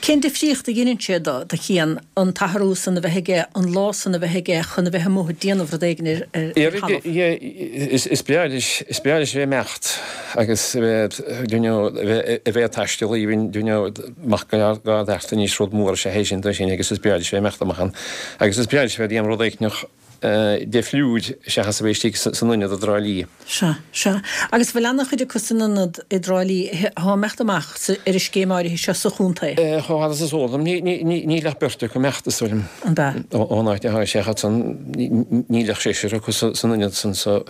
Cén difríocht a dheineann sé do, do Chian, an t-athrú san a bheith aige, an lá san a bheith aige chun a bheith amuigh ag déanamh rud éigin ar, ar, ar thalamh? Yeah, is, is breá leis, is breá leis a bheith ag imeacht. Agus a bheith, you know, a bheith ag taisteal even, you know, amach go Ard Fhearta anois rud mór is ea é sin dó sin agus is breá leis a bheith ag imeacht amach ann. Agus is breá leis a bheith ag déanamh rud éicneach difriúil seachas a bheith istigh san ionad i dTrá Lí. Sea, sea. Agus bhfuil ana-chuid acu san ionad i dTrá Lí athá ag imeacht amach sa, ar an scéim áirithe seo sa chontae? Chomh fada is is eol dom, níl ach beirt acu ag imeacht, is dóigh liom. An ea? Ón áit athá sé acu san, níl ach seisear acu san ionad san so.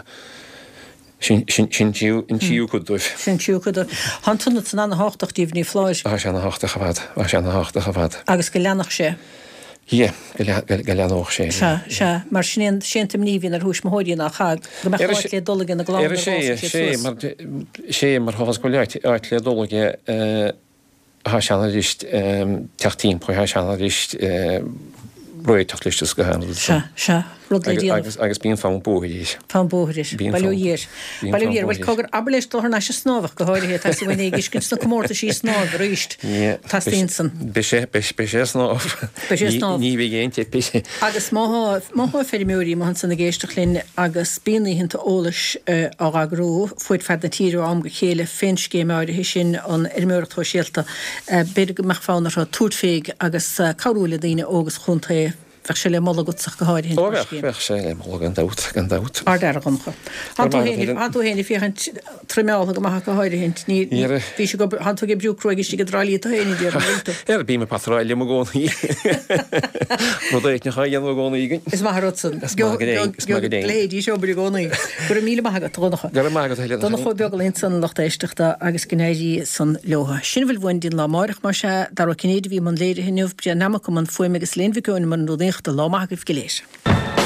Sin an tríú cuid dóibh. Sin an tríú cuid dóibh. Tá an t-ionad san ana-thábhachtach díobh, ní foláir. Tá sé ana-thábhachtach ar fad. Tá sé ana-thábhachtach ar fad. Agus go leanfadh sé. Yeah, go leanódh sé. Sea, sea. Mar sin é an, sé an t-imní a bhíonn ar thuismitheoirí ná chaith, go mbeadh áit le dul aige na gclann nuair a fhásfaidh siad suas. Sé, mar chomh fada is go bhfuil áit le dul aige, Thá sé ann arís teacht timpeall, thá sé ann arís réiteach leis is go han rud Sea, sea, rud le déanamh. Agus, agus bíonn fonn bóthair air. Fonn bóthair air. Bíonn Bail ó fonn, Dhia air. bíonn Bail ó fonn Dhia air. Bhuel, bóthair air. cogar, abair leis dul thar n-ais ag snámh ach go háirithe, tá sé uainn é ag fheiscint sna comórtaisí snámh arís. Yeah. Teastaíonn san. Beidh sé, beidh, beidh sé ag snámh. Beidh sé ag snámh. Ní, ní bheidh aon teip air. Agus má thá, má thá feirmeoirí amuigh ansan ag éisteacht linn agus bíonn oícheanta eolais á eagrú fuaid fad na tíre ó am go chéile fén scéim áirithe sin, an fheirmeoireacht shóisialta, b'fhéidir go mbeadh fonn orthu tabhairt féig agus cabhrú le daoine óga sa chontae. Bheadh sé le moladh agatsa ach go háirithe Ó bheadh, bheadh sé le moladh gan dabht, gan dabht. Ard-fhear, a Dhonncha. Thánn tú féin, thánn tú féin ag féachaint troimeáltha go maith ach go háirithe. Ní, ní, bhí sé go, thánn tú ag oibriú cruaidh istigh i dTrá Lí tú féin, a déarfainn, an bhfuil tú? Ar bím ag patráil liom i gcónaí. Rud éicneach á dhéanamh i gcónaí againn. Is maith an rud san. Is maith go deimhin, is maith go deimhin. Leithéidí seo obair i gcónaí. Go raibh míle maith agat, a Dhonncha. Go raibh maith agat a thuilleadh. Donncha Ó Beaglaoich ansan, lucht éisteachta, agus go n-éirí san leotha. Sin a bhfuil uainn dtí'n lá amáireach, más ea. Dara Ó Cinnéide a bhí i mbun léirithe inniu, Brian Nammock i mbun fuaime agus Elaine Mhic Eoin i mbun rúnaíochta. Lá maith agaibh go léir.